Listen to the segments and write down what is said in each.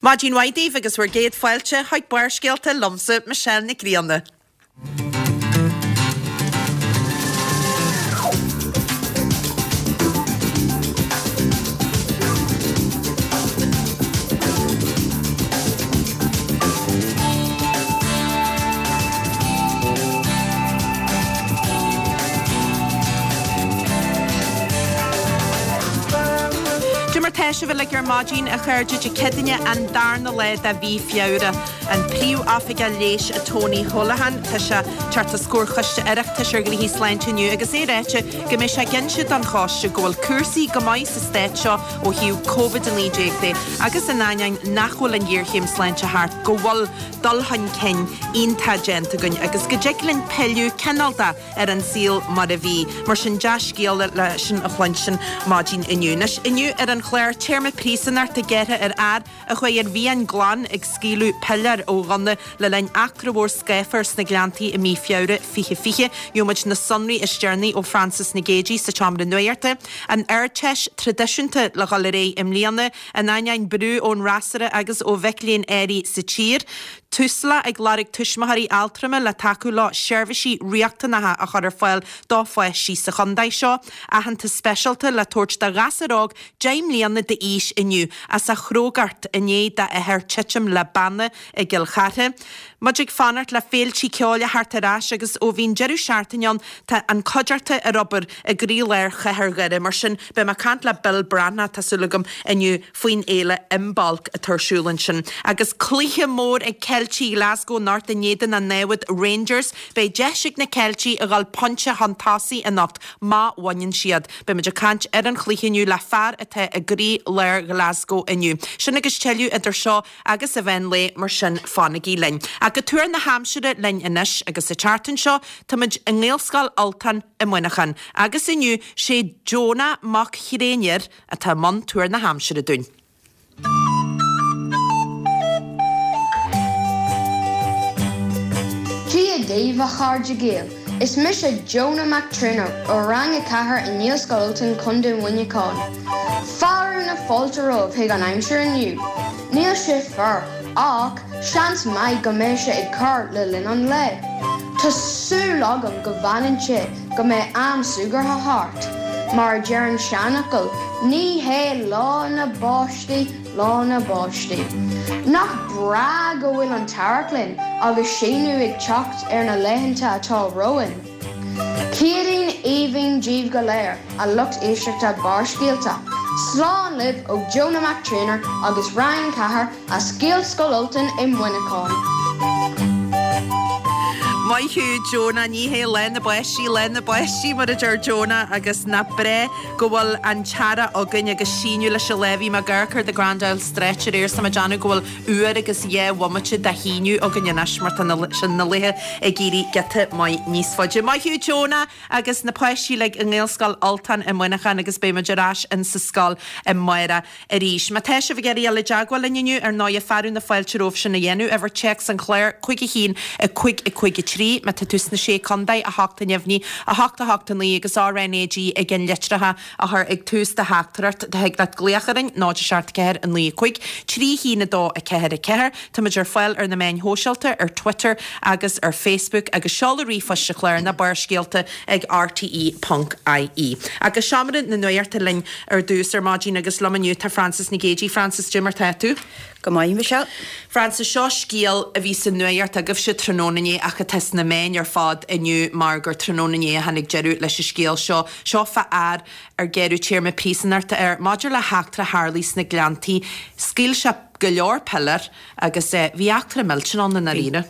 Maidin mhaith daoibh agus bhur gcéad fáilte chuig Barrscéalta liomsa, Michelle Nic Grianna. Cad é mar tá sibh uilig ar maidin, a chairde, Dé Céadaoine an darna lá de mhí Feabhra. An Príomh-Oifigeach Leighis Tony Holohan, tá sé ag teacht os comhair Choiste Oireachtais ar Ghnoithí Sláinte inniu agus é ráite go mbeidh sé ag inse don choiste go bhfuil cúrsaí go maith sa stát seo ó thaobh Covid-19 de agus in ainneoin nach bhfuil an ghéarchéim sláinte thart go bhfuil dul chun cinn iontach déanta againn agus go dtig linn pilleadh cineál de ar an saol mar a bhí. Mar sin dea-scéala le sin a chluinstin maidin inniu. Anois inniu ar an chlár, téarma príosúnachta gearrtha ar fhear a chuaigh ar mhian glan ag scaoileadh piléar ó ghunna le linn eachtra mhór scáfar sna Gleanntaí i mí Feabhra 2020. Gheobhaidh muid na sonraí is deireanaí ó Frances Nic Géadaigh sa tseomra nuachta. An Ardteist traidisiúnta le dhul ar aghaidh i mbliana. In ainneoin brú ón fhreasúra agus ó mhic léinn áirithe sa tír, Tusla ag lorg tuismitheoirí altrama le tacú leo seirbhísí riachtanacha a chur ar fáil do pháistí sa chontae seo. Aitheantas speisialta le tabhairt do ghasúr óg 10 mbliana d'aois inniu as a chrógacht i ndiaidh dá athair titim le banna i gCill Chartha. Muid ag fanacht le féiltí ceoil a theacht ar ais agus ó bhí an deireadh seachtaine ann tá an cuideachta ar obair i gcroílár chathair Dhoire. Mar sin beidh mé ag caint le Bill Breathnach, tá súil agam, inniu faoin fhéile Imbolc atá ar siúl ansin. Agus cluiche mór ag Ceiltigh Ghlasgow anocht in éadan an námhad Rangers. Beidh deis ag na Ceiltigh a dhul pointe chun tosaigh anocht má bhaineann siad. Beidh muid ag caint ar an chluiche inniu le fear atá i gcroílár Ghlasgow inniu. Sin agus tuilleadh idir seo agus an mheán lae, mar sin fanaigí linn. Ach go tuar na haimsire linn anois agus an tseachtain seo táimid i nGaelscoil Ultain i Muineachán agus inniu sé Jonah Mac Thréinir atá i mbun tuar na haimsire dúinn. Dia daoibh a chairde Gael! Is mise Jonah Mac Tréinir ó Rang 4 i nGaelscoil Ultain, Contae Mhuineacháin. Fearadh na fáilte romhaibh chuig an aimsir inniu. Níl sé fuar, ach seans maith go mbeidh sé ag cur le linn an lae. Tá súil agam go bhfanann sé go mbeidh am súgartha thart. Mar a deir an seanfhocal, ní hé lá na báistí lá na báistí. Nach breá go bhfuil an t-earrach linn agus síneadh ag teacht ar na laethanta atá romhainn. Céadaoin aoibhinn daoibh go léir, a lucht éisteachta Barrscéalta. Slán libh ó Jonah Mac Tréinir agus Rang 4 as Gaelscoil Ultain i Muineachán. Maith thú Jonah, ní hé lá na báistí lá na báistí mar a deir Jonah agus nach breá go bhfuil an t-earrach againn agus síneadh leis an lá. Bhí mé ag amharc ar The Grand Isle Stretch aréir is tá mé ag déanamh go bhfuil uair agus dhá bhomaite de shíneadh againn anois mar tá na sin na laetha ag éirí giota maith níos faide. Maith thú Jonah agus na páistí uilig i nGaelscoil Ultain i Muineachán agus beidh muid ar ais in sa scoil amárach. Arís, má tá sibh ag iarraidh dul i dteagmháil linn inniu, ar ndóighe, fearadh na fáilte romhaibh sin a dhéanamh. Uimhir téacs an chláir, 5 1 5 5 3. Má tá tú sna Sé Contae, 8 a neamhní, 8 8 9 agus RnaG i gceann litreacha a chur ag tús do theachtaireacht. Thig leat glaoch orainn, 0 7 4 9 5 3 1 2 4 4. Táimid ar fáil ar na meáin shóisialta, ar Twitter agus ar Facebook agus seoladh ríomhphoist an chláir ná Barrscéalta ag rte.ie. Agus Seomra na Nuachta linn ar dtús ar maidin agus liom inniu tá Frances Nic Géadaigh. Frances, cad é mar tá tú? Go maith, Michelle. Frances, seo scéal a bhí sa nuacht agaibhse tráthnóna inné ach atá sna meáin ar fad inniu mar gur tráthnóna inné a tháinig deireadh leis an scéal seo. Seo fá fhear ar gearradh téarma príosúnachta air maidir le heachtra a tharlaigh sna Gleanntaí. Scaoil sé go leor piléar agus bhí eachtra millteanach ann i ndáiríre.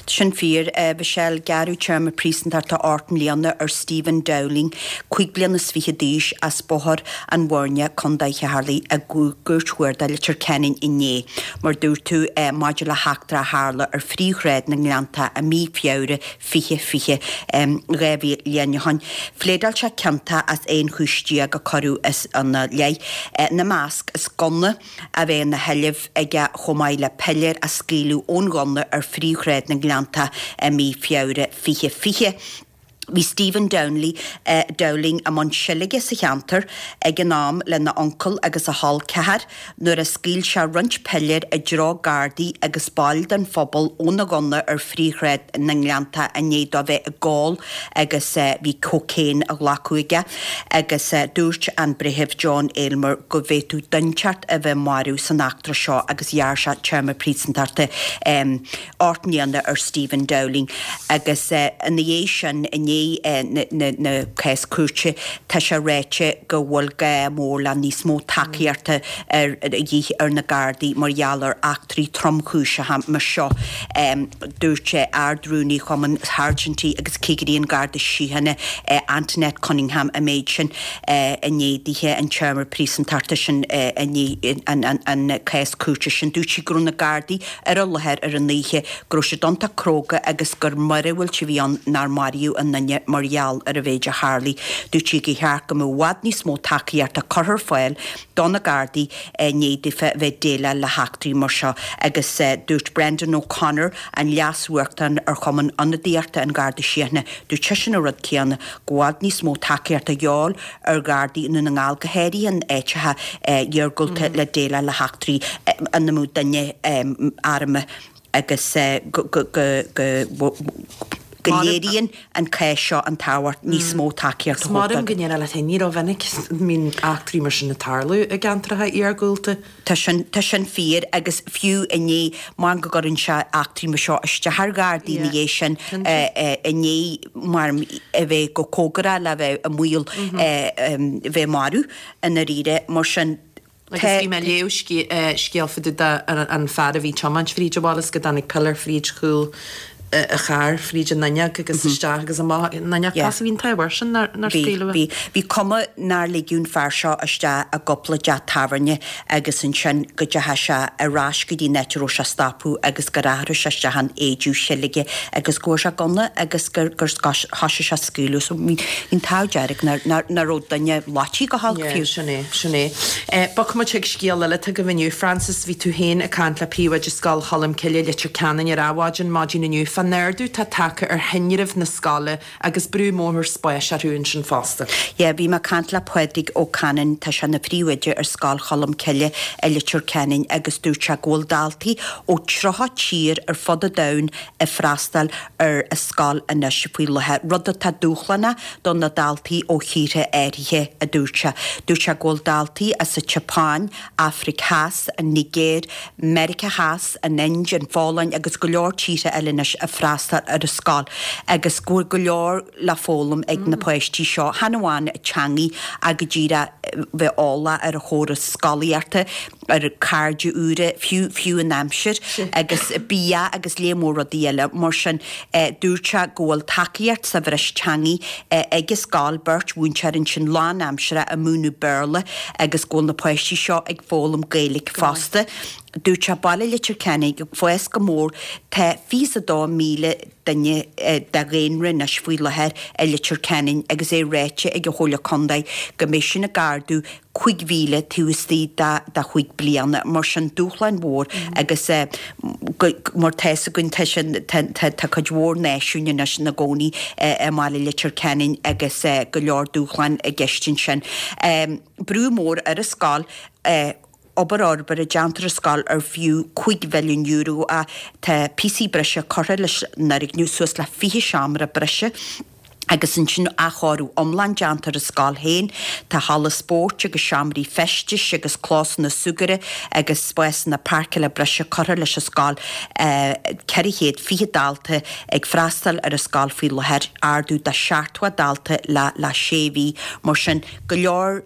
Sin fíor, a Mhichelle. Gearradh téarma príosúntachta 8 mbliana ar Stephen Dowling, 25 bliana d'aois, as Bóthar an Bhoirne, Co. Cheatharlaigh, i gCúirt Chuarda Leitir Ceanainn inné, mar dúirt tú, maidir le heachtra a tharla ar phríomhshráid na nGleanntach i mí Feabhra 2020, 2 bhliain ó shin. Phléadáil sé ciontach as 11 chúis a cuireadh ina leith, ina measc, as gunna, a bheith ina sheilbh aige chomh maith le piléar a scaoileadh ón ghunna ar phríomhshráid na nGleanntach i mí Feabhra 2020. Bhí Stephen Downley, Dowling i mbun seilge sa cheantar ag an am lena uncail agus a chol ceathar nuair a scaoil sé roinnt piléar i dtreo Gardaí agus baill den phobal óna ghunna ar Phríomhshráid na nGleanntach i ndiaidh dó bheith ag ól agus bhí cocaine á ghlacadh aige agus dúirt an Breitheamh John Aylmer go bhféadfadh duine inteacht a bheith marbh san eachtra seo agus ghearr sé téarma príosúntachta 8 mbliana ar Stephen Dowling agus ina dhiaidh sin, i ndiaidh na cás cúirte, tá sé ráite go bhfuil gá mór le níos mó tacaíochta de dhíth ar na Gardaí mar gheall ar eachtraí tromchúiseacha mar seo. Dúirt Ard-Rúnaí Chumann Sháirsintí agus Cigirí an Gharda Síochána, Antoinette Cunningham an méid sin i ndiaidh dithe an téarma príosúntachta sin i ndiaidh an cás cúirte sin. Dúirt sí go raibh na Gardaí ar an láthair ar an oíche, go raibh siad iontach cróga agus gur míorúilt a bhí ann nár maraíodh aon duine mar gheall ar an mhéid a tharlaigh. Dúirt sí gur cheart go mbeadh i bhfad níos mó tacaíochta curtha ar fáil do na Gardaí i ndiaidh daofa bheith ag déileáil le heachtraí mar seo agus dúirt Brendan O'Connor, an Leas-Uachtarán ar Chumann Ionadaíochta an Gharda Síochána, dúirt seisean an rud céanna, go bhfad níos mó tacaíochta a dhíobháil ar Ghardaí i nDún na nGall go háirithe in áiteacha iargúlta le déileáil le heachtraí ina mbeadh duine armtha agus go léiríonn an cás seo an tábhacht níos mó tacaíocht a thabhairt dóibh. Maram go ndéana leat féin, ní rómhinic a mbíonn eachtraí mar sin ag tarlú i gceantracha iargúlta. Tá sin, tá sin fíor agus fiú i ndiaidh, mar go gcuireann sé eachtraí mar seo isteach ar Ghardaí ina dhiaidh sin, i ndiaidh mar a bheith chomh cóngarach le bheith i mbaol bheith marbh i ndáiríre. Mar sin, tá. Agus bhí mé ag léamh scéal fá dtaobh de an fear a bhí ag tiomáint fríd an bhaile is go dtáinig piléar fríd chúl a chairr fríd an fhuinneog agus isteach agus amach an fhuinneog. Tá bhí an t-ádh air sin nár scaoileadh é. Bhí. Bhí cuma nár ligeadh an fear seo isteach i gcúpla teach tábhairne agus ansin go dteachaigh sé ar ais go dtí an áit a raibh sé stopadh agus gur athraigh sé isteach in éideadh seilge agus go bhfuair sé gunna agus gur gur thoisigh sé ag scaoileadh. So bhí an t-ádh dearg nár nár nár raibh duine loitithe go holc fiú. Sin é, sin é. Bogfaidh muid chuig scéal eile atá agaibh inniu. Frances, bhí tú féin ag caint le Príomhoide Scoil Cholmcille, Leitir Ceanainn ar Adhmhaidin maidin inniu fán ardú atá tagtha ar thinreamh na scoile agus brú mór spáis orthu ansin fosta. Yeah, bhí mé ag caint le Pádraig Ó Canainn, tá sé ina phríomhoide ar Scoil Cholmcille i Leitir Ceanainn agus dúirt sé go bhfuil daltaí ó 30 tír ar fud an domhain ag freastal ar an scoil anois faoi láthair, rud atá dúshlánach do na daltaí ó thíortha áirithe, a dúirt sé. Dúirt sé go bhfuil daltaí as an tSeapáin, Afraic Theas, an Nigéir, Meiriceá Theas, an Ind, an Pholainn agus go leor tíortha eile anois ag freastal ar an scoil agus go bhfuil go leor le foghlaim ag na páistí seo, chan amháin teangaí ach go díreach bheith eolach ar an chóras scolaíochta. ar cairde úra, fiú, fiú an aimsir agus bia agus léar mór rudaí eile. Mar sin, dúirt sé go bhfuil tacaíocht sa bhreis teangaí ag an scoil, beirt mhúinteoir ansin lánaimseartha ag múineadh Béarla agus go bhfuil na páistí seo ag foghlaim Gaeilge fosta. Dúirt sé baile Leitir Ceanainn ag fás go mór, tá 22,000 duine de dhaonra anois faoi láthair i Leitir Ceanainn agus é ráite ag an Chomhairle Contae go mbeidh sin ag ardú 5,000 taobh istigh de chúig bliana. Mar sin, dúshláin mhór agus mar tá fhios againn tá sin, tá cuid mhór náisiúin anois ina gcónaí i mbaile Leitir Ceanainn agus go leor dúshláin i gceist ansin. Brú mór ar an scoil. Obair fhorbartha déanta ar an scoil ar fiú €5 mhilliún é. Tá píosaí breise curtha leis an fhoirgneamh, suas le 20 seomra breise agus ansin athchóiriú iomlán déanta ar an scoil féin. Tá halla spóirt agus seomraí feistis agus clósanna súgartha agus spásanna páirceála breise curtha leis an scoil. 420 dalta ag freastal ar an scoil faoi láthair, ardú de 70 dalta le sé mhí. Mar sin, go leor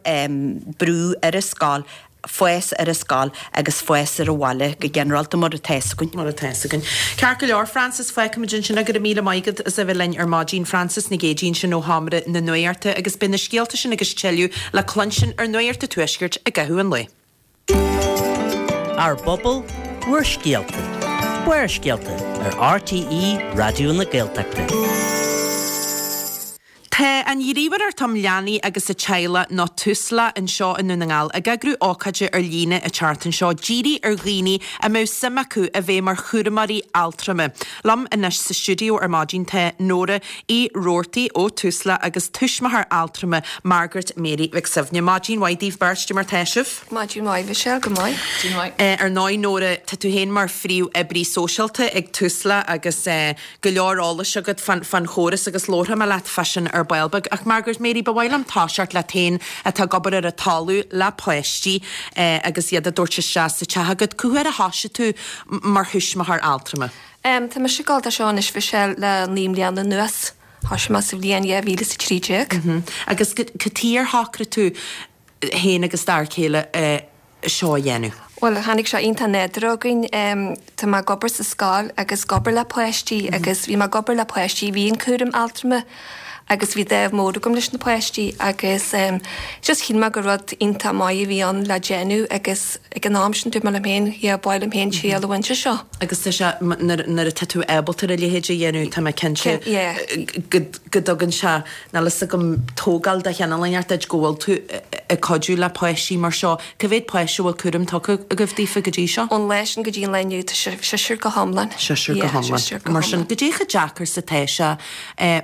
brú ar an scoil, fás ar an scoil agus fás ar an bhaile go ginearálta mar atá fhios againn. Mar atá fhios againn. Ceart go leor, Frances, fágfaimid ansin é. Go raibh míle maith agat as a bheith linn ar maidin. Frances Nic Géadaigh ansin ó Sheomra na Nuachta agus beidh na scéalta sin agus tuilleadh le cluinstin ar Nuacht an Tuaiscirt i gcaitheamh an lae. Ár bpobal, bhur scéalta. Barrscéalta ar RTÉ Raidió na Gaeltachta. Tá an Ghníomhaireacht um Leanaí agus a Teaghlaigh, nó Tusla, anseo i nDún na nGall ag eagrú ócáide ar líne an tseachtain seo dírithe ar dhaoine a mbeadh suim acu a bheith mar chúramóirí altrama. Liom anois sa stiúideo ar maidin tá Nóra Uí Robhartaigh ó Tusla agus tuismitheoir altrama Margaret Mary Mhic Suibhne. Maidin mhaith daoibh beirt, cad é mar tá sibh? Maidin mhaith, Michelle, go maith. Maidin mhaith. Ar ndóigh Nóra, tá tú féin mar phríomh-oibrí sóisialta ag Tusla agus go leor eolais agat fán chóras agus labharfaidh mé leat fá sin ar ball beag. Ach Margaret Mary, ba mhaith liom toiseacht leat féin atá ag obair ar an talamh le páistí agus iad á dtabhairt isteach sa teach agat. Cá huair a thoisigh tú mar thuismitheoir altrama? Tá mise ag gabháil dó seo anois Mhichelle le 9 mbliana anuas. Thoisigh mé sa bhliain 2013. Agus cad chuige ar shocraigh tú féin agus d'fhear céile seo a dhéanamh? Bhuel, tháinig sé iontach nádúrtha chugainn. Tá mé ag obair sa scoil agus ag obair le páistí agus bhí mé ag obair le páistí a bhí in cúram altrama agus bhí dáimh mór agam leis na páistí agus just shíl mé gur rud iontach maith a bhí ann le déanamh agus ag an am sin dúirt mé liom féin, yeah, ba mhaith liom féin triail a bhaint as seo. Agus tá sé, nuair atá tú ábalta ar a leithéid a dhéanamh, tá mé cinnte go dtugann sé Níl fhios agam tógáil de chineál inteacht duit go bhfuil tú ag cuidiú le páistí mar seo. Cá mhéad páiste a bhfuil cúram tugtha agaibh daofa go dtí seo? Ón lá sin go dtí an lá inniu tá sé seisear go hiomlán. Seisear go hiomlán. Seisear go hiomlán. Mar sin, goidé chomh deacair is atá sé,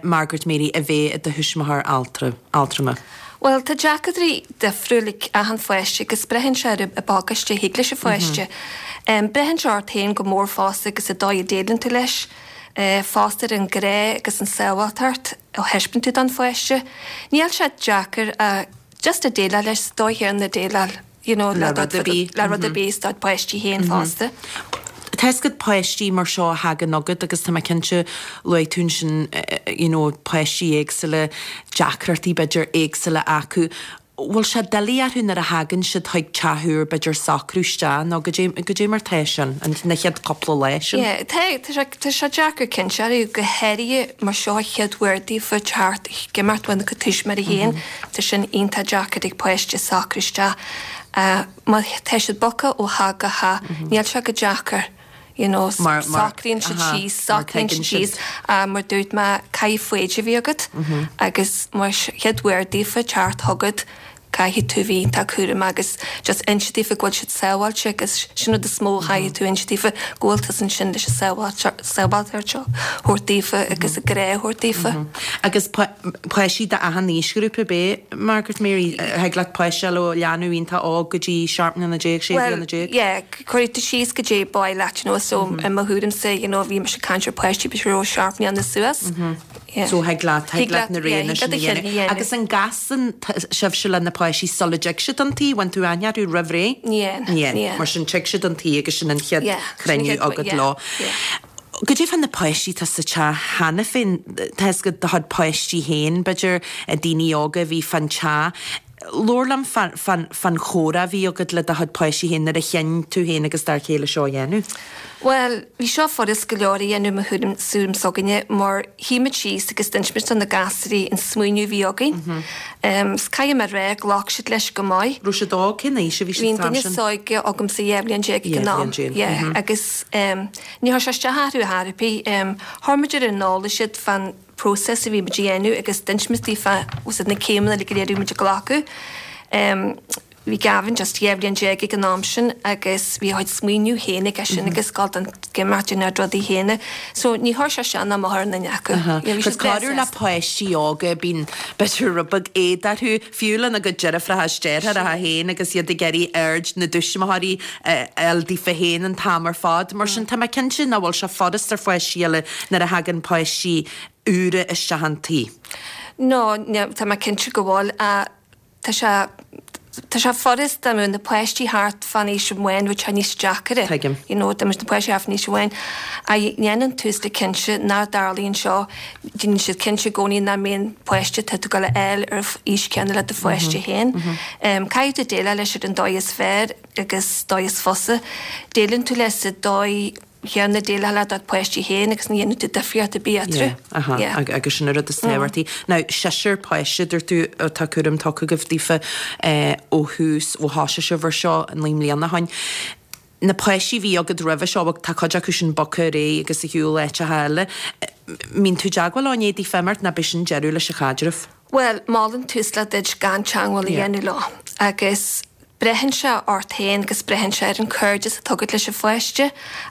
Margaret Mary, a bheith i do thuismitheoir altrama? Bhuel, tá deacrachtaí difriúil ag achan pháiste agus braitheann sé ar an bpacáiste a thig leis an pháiste. Braitheann sé ort féin go mór fosta agus an dóigh a déileann tú leis. Fosta ar an grá agus an sábháilteacht a thaispeánann tú don pháiste. Níl sé deacair ach just a déileáil leis sa dóigh chéanna a déileáil you know le rud ar bith le rud ar bith is dod pháistí féin fosta. Tá fhios agat páistí mar seo a thagann chugat agus tá mé cinnte luaigh tú ansin you know páistí éagsúla deacrachtaí b'fhéidir éagsúla acu. Bhfuil sé doiligh orthu nuair a thagann siad chuig teach úr b'fhéidir socrú isteach nó goidé, goidé mar tá sin, an, na chéad cúpla lá sin? Yeah, tá, tá sé, tá sé deacair cinnte orthu, go háirithe mar seo an chéad uair daofa teacht, ag imeacht óna gcuid tuismitheoirí féin, tá sin iontach deacair ag páiste socrú isteach. Má tá siad bogtha ó theach go theach, níl sé chomh deacair. you know, socraíonn siad síos, socraíonn siad síos, mar dúirt mé, caithfidh foighid a bheith agat agus más chéad uair daofa teacht chugat, caithfidh tú a bheith iontach cúramach agus just inse daofa go bhfuil siad sábháilte agus sin rud is mó a chaithfidh tú inse daofa, go bhfuil tusa ansin leis an sábháilteacht seo a thabhairt daofa agus an grá a thabhairt daofa. Agus páistí d'achan aoisghrúpa, ab é, Margaret Mary? Thig leat páiste a fháil ó leanbh iontach óg go dtí 17 mbliana, 16 bliana? Bhuel, yeah. Cuirfidh tú síos goidé ba mhaith leat, you know, so i mo thuairimse, you know, bhí mise ag caint ar páistí b'fhéidir ó 7 mbliana suas. Yeah. So thig leat, thig leat na roghanna sin a dhéanamh. Agus an gcasann sibhse le na páistí sula dtig siad chun tí, bhfuil tú aithne orthu roimh ré? Ní Ní. Ní. Mar sin tig siad chun tí agus sin an chéad chruinniú agat leo. Goidé fá na páistí atá sa teach cheana féin, tá fhios agat do chuid páistí féin, b'fhéidir, daoine óga a bhí fán teach. Labhair liom fán chomhrá a bhí agat le do chuid páistí féin nuair a chinn tú féin agus d'fhear céile seo a dhéanamh. Bhuel, bhí seo furast go leor a dhéanamh mo thuairim tuairim s'againne mar shuigh muid síos agus d'inis muid do na gasúirí an smaoineamh a bhí againn. 'S caithfidh mé a rá, ghlac siad leis go maith. Raibh siad óg? Cén aois a bhí siad san am sin? Bhí an duine is óige agamsa 12 bhliain ag an am. 12 bhliain. Yeah, agus ní chuir sé isteach orthu ar chor ar bith. Chuir muid ar an eolas iad fán próiseas a bhí muid a dhéanamh agus d'inis muid daofa úsáid na céimeanna uilig go léir a bhí muid ag glacadh. Bhí Gavin just 12 bhliain ag an am sin agus bhí a chuid smaoineamh féin aige sin agus ag gabháil don imeacht ina rudaí féin. So ní chuir sé isteach ná amach ar aon duine acu. Bhí siad breá sásta. Le páistí óga bíonn b'fhéidir rud beag éad orthu, fiú lena gcuid deirfiúracha is deartháireacha féin agus iad ag iarraidh aird na dtuismitheoirí a fháil daofa féin an t-am ar fad. Mar sin tá mé cinnte nach bhfuil sé furast ar pháistí eile nuair a thagann páistí úra isteach an tí. No, tá mé cinnte go bhfuil. Tá sé, tá sé furast dá mbeadh na páistí thart fán aois amháin, bheadh sé níos deacaire. Tuigim. You know, dá mbeadh na páistí thart fán aois amháin. Ach déanann Tusla cinnte nach dtarlaíonn seo, déanann siad cinnte i gcónaí nach mbíonn páiste atá tú ag dul a fháil ar aois céanna le do pháiste féin. Caithfidh tú déileáil leis ar an dóigh is fearr agus dóigh is fusa. Déileann tú leis sa dóigh chéanna a déileálfá le do pháistí féin agus ní dhéanann tú difríocht ar bith eatarthu. Yeah, aha, yeah. Agus sin an rud is tábhachtaí. Now, seisear páiste, dúirt tú, atá cúram tugtha agaibh daofa ó thús, ó thosaigh sibh ar seo 9 mbliana ó shin. Na páistí a bhí agat roimhe seo, bhuel tá cuid acu sin bogtha ar aghaidh agus ar shiúl áiteacha eile. Mbíonn tú i dteagmháil leo i ndiaidh daofa imeacht nó b'shin deireadh leis an chaidreamh? Bhuel, molann Tusla duit gan teagmháil a dhéanamh leo agus braitheann sé ort féin agus braitheann sé ar an cairdeas atá agat leis an pháiste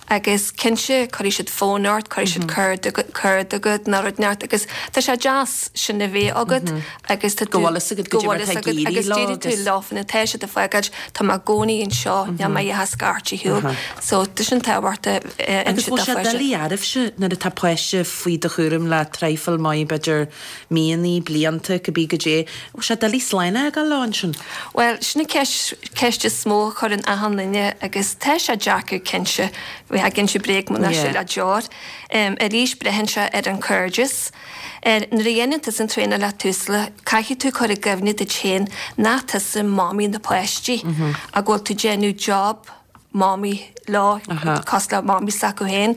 agus cinnte cuirfidh siad fón ort, cuirfidh siad cárta chugat nó rud inteacht agus tá sé deas sin a bheith agat agus tá tú, go bhfuil fhios agat go bhfuil fhios agat agus déarfaidh tú leofa nuair atá siad ag fágáil tá mé i gcónaí anseo, níl mé a scairteadh ar shiúl. So tá sin tábhachtach Agus bhfuil sé doiligh oraibhse nuair atá páiste faoi do chúram le traidhfil maith b'fhéidir míonna, blianta, cibé goidé. Bhfuil sé doiligh slán a fhágáil leo ansin? Bhuel, sin an ceist, ceist is mó a chuireann achan duine agus tá sé deacair cinnte, bheifeá ag inse bréag muna sé le deoir. Arís, braitheann sé ar an cairdeas. Nuair a dhéanann tusa an traenáil le Tusla, caithfidh tú cur i gcuimhne duit féin nach tusa mamaí na páistí ach go bhfuil tú ag déanamh job mamaí leo, cosúil le mamaí s'acu féin.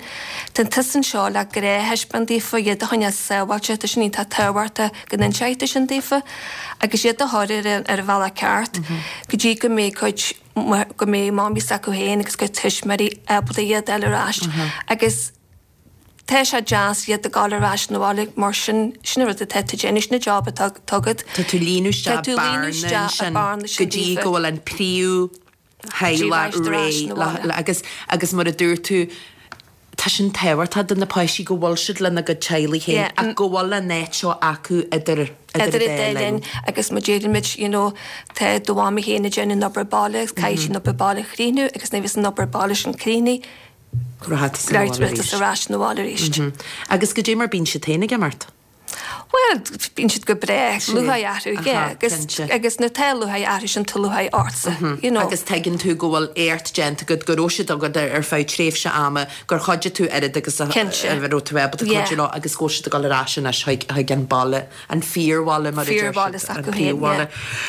Tá tusa anseo le grá a thaispeáint daofa, iad a choinneáil sábháilte, tá sin iontach tábhachtach go n-inseoidh tú sin daofa, agus iad a chur ar an bhealach ceart go dtí go mbeidh cuid, go mbeidh mamaí s'acu féin agus cuid tuismitheoirí ábalta iad a fháil ar ais. Agus. Tá sé deas iad ag gabháil ar ais 'na bhaile mar sin, sin an rud atá tú ag déanamh, sin an job atá agat. Tá tú ag líonadh isteach bearna ansin go dtí go bhfuil an príomh theaghlach réidh le agus agus mar a dúirt tú tá sin tábhachtach do na páistí go bhfuil siad lena gcuid teaghlaigh féin ach go bhfuil an áit seo acu idir idir an dá linn agus mar deirimid you know tá do mhamaí féin ag déanamh an obair baile agus caithfidh sí an obair baile a chríochnú agus nuair a bheas an obair baile sin críochnaithe Rachaidh tusa ar ais 'na bhaile arís. Agus goidé mar bíonn siad féin ag imeacht? Bhuel, bíonn siad go breá, lúcháir orthu, yeah, agus agus nuair atá lúcháir orthu sin tá lúcháir ortsa, you know. Agus tuigeann tú go bhfuil éacht déanta agat, go raibh siad agat ar feadh tréimhse ama, gur chuidigh tú oiread agus a raibh tú ábalta cuidiú leo agus go bhfuil siad ag dul ar ais anois chuig an baile, an fíorbhaile mar a deir siad, an príomhbhaile.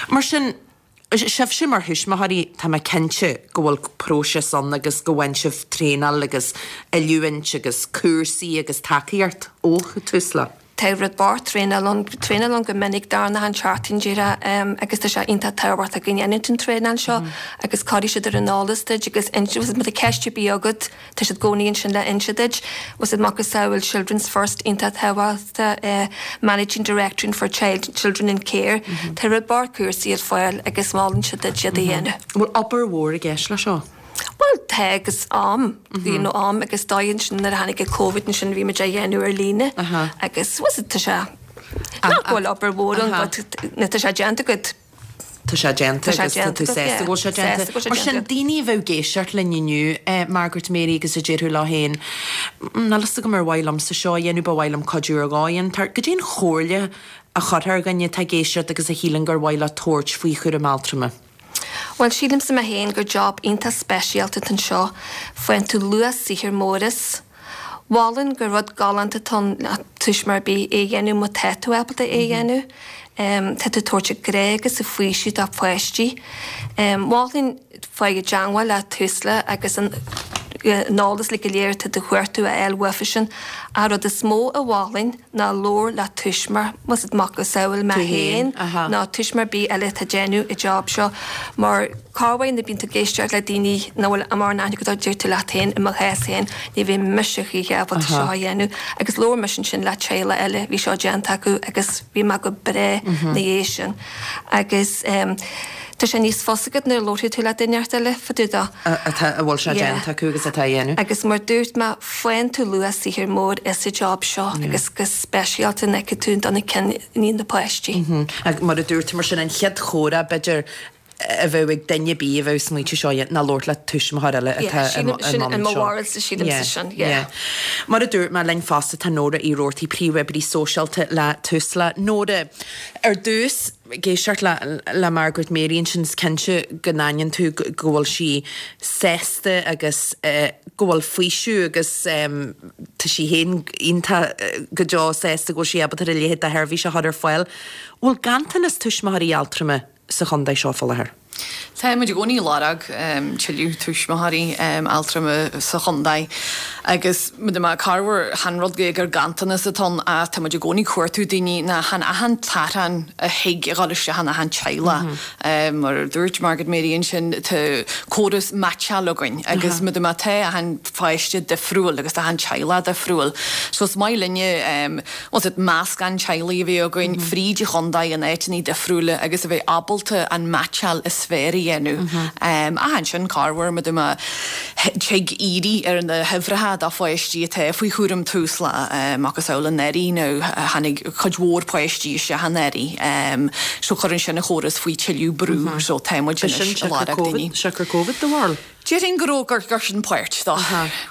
Mar sin, Sibhse mar thuismitheoirí, tá mé cinnte go bhfuil próiseas ann agus go bhfaigheann sibh traenáil agus oiliúint agus cúrsaí agus tacaíocht ó Tusla. Tá rud bocht traenáil ann, traenáil ann go minic dar ndóigh an tseachtain díreach agus tá sé iontach tábhachtach go ndéanann tú an traenáil seo agus cuirfidh siad ar an eolas duit agus má tá ceist ar bith agat, Tá siad i gcónaí ansin le inse duit. Bhfuil 's a'd macasamhail Children's First iontach tábhachtach, Managing Directing for Child, Children in Care. Tá rud bocht cúrsaí ar fáil agus molann siad duit iad a dhéanamh. Bhfuil obair mhór i gceist leis seo? Bhuel tá agus am, you know am agus dóigh ansin nuair a tháinig an Covid ansin bhí muid á dhéanamh ar líne agus bhfuil 's a'd tá sé, nach bhfuil obair mhór ann but nuair atá sé déanta agat, Tá sé déanta agus tá tú sásta go bhfuil sé déanta. Mar sin, daoine a bheadh ag éisteacht linn inniu, Margaret Mary agus a déarfadh leo féin, níl fhios agam ar mhaith liomsa seo a dhéanamh, ba mhaith liom cuidiú ar dhóigh inteacht. Goidé an chomhairle a chuirfeá ar dhuine atá ag éisteacht agus a shíleann gur mhaith leo tabhairt faoi chúram altrama? Bhuel, sílimse mé féin gur job iontach speisialta atá anseo. Faigheann tú luach saothair mór as. Mholfainn gur rud galánta atá ann le tuismitheoir ar bith é a dhéanamh má tá tú ábalta é a dhéanamh. Tá tú ag tabhairt an grá agus an faoiseamh do pháistí. Mholfainn faigh i dteangmháil le Tusla agus an eolas uilig go léir atá tú ag cuartú a fháil uafa sin. An rud is mó a mholfainn ná labhair le tuismitheoir, bhfuil 's a'd macasamhail mé féin nó tuismitheoir ar bith eile atá ag déanamh an job seo mar Corruair nuair a bíonn tú ag éisteacht le daoine nach bhfuil mórán aithne agat orthu, deir tú leat féin, i mo chás féin, ní bheidh mise choíche ábalta seo a dhéanamh. Agus labhair mise ansin le teaghlach eile, bhí seo déanta acu agus bhí mé go breá ina dhiaidh sin. Agus tá sé níos fusa agat nuair a labharfaidh tú le duine inteacht eile fá dtaobh dó. Atá, a bhfuil sé déanta acu agus atá á dhéanamh. Agus mar dúirt mé, faigheann tú luach saothair mór as an job seo agus go speisialta nuair a fheiceann tú dul chun cinn na páistí. Agus mar a dúirt tú, mar sin, an chéad chomhrá, b'fhéidir, a bheadh ag duine ar bith a bheadh ag smaointiú seo ná labhairt le tuismitheoir eile atá i mbun seo. Sin mo bharúilsa, sílimse sin, yeah. Mar a dúirt mé, linn fosta tá Nóra Uí Robhartaigh, Príomhoibrí Sóisialta le Tusla. Nóra, ar dtús, ag éisteacht le le Margaret Mary ansin, is cinnte go n-aithníonn tú go bhfuil sí sásta agus go bhfuil faoiseamh agus tá sí féin iontach go deo sásta go bhfuil sí ábalta a leithéid de sheirbhís a chur ar fáil. Bhfuil ganntanas tuismitheoirí altrama sa chontae seo faoi láthair. Tá muid i gcónaí ag lorg tuilleadh tuismitheoirí altrama sa chontae agus corruair chan rud é gur ganntanas atá ann ach tá muid i gcónaí ag cuartú daoine ná chan achan t-athrán a thig a dhul isteach in achan teaghlach. Mar a dúirt Margaret Mary ansin tá córas meaitseáil againn agus má tá achan pháiste difriúil agus tá achan teaghlach difriúil so is maith linne Bhfuil a fhios agat, meascán teaghlaigh a bheith againn fríd an chontae in áiteanna difriúla agus a bheith ábalta an meaitseáil is fearr a dhéanamh. Ach ansin, corruair, má tá tig iarraidh ar na huimhreacha do pháistí atá faoi chúram Tusla, macasamhail anuraidh nó tháinig cuid mhór páistí isteach anuraidh, so cuireann sin an chóras faoi tuilleadh brú, so tá muid anois ag lorg daoine. Siocair Covid, do bharúil? Déarfainn go raibh, gur, gur sin páirt dó.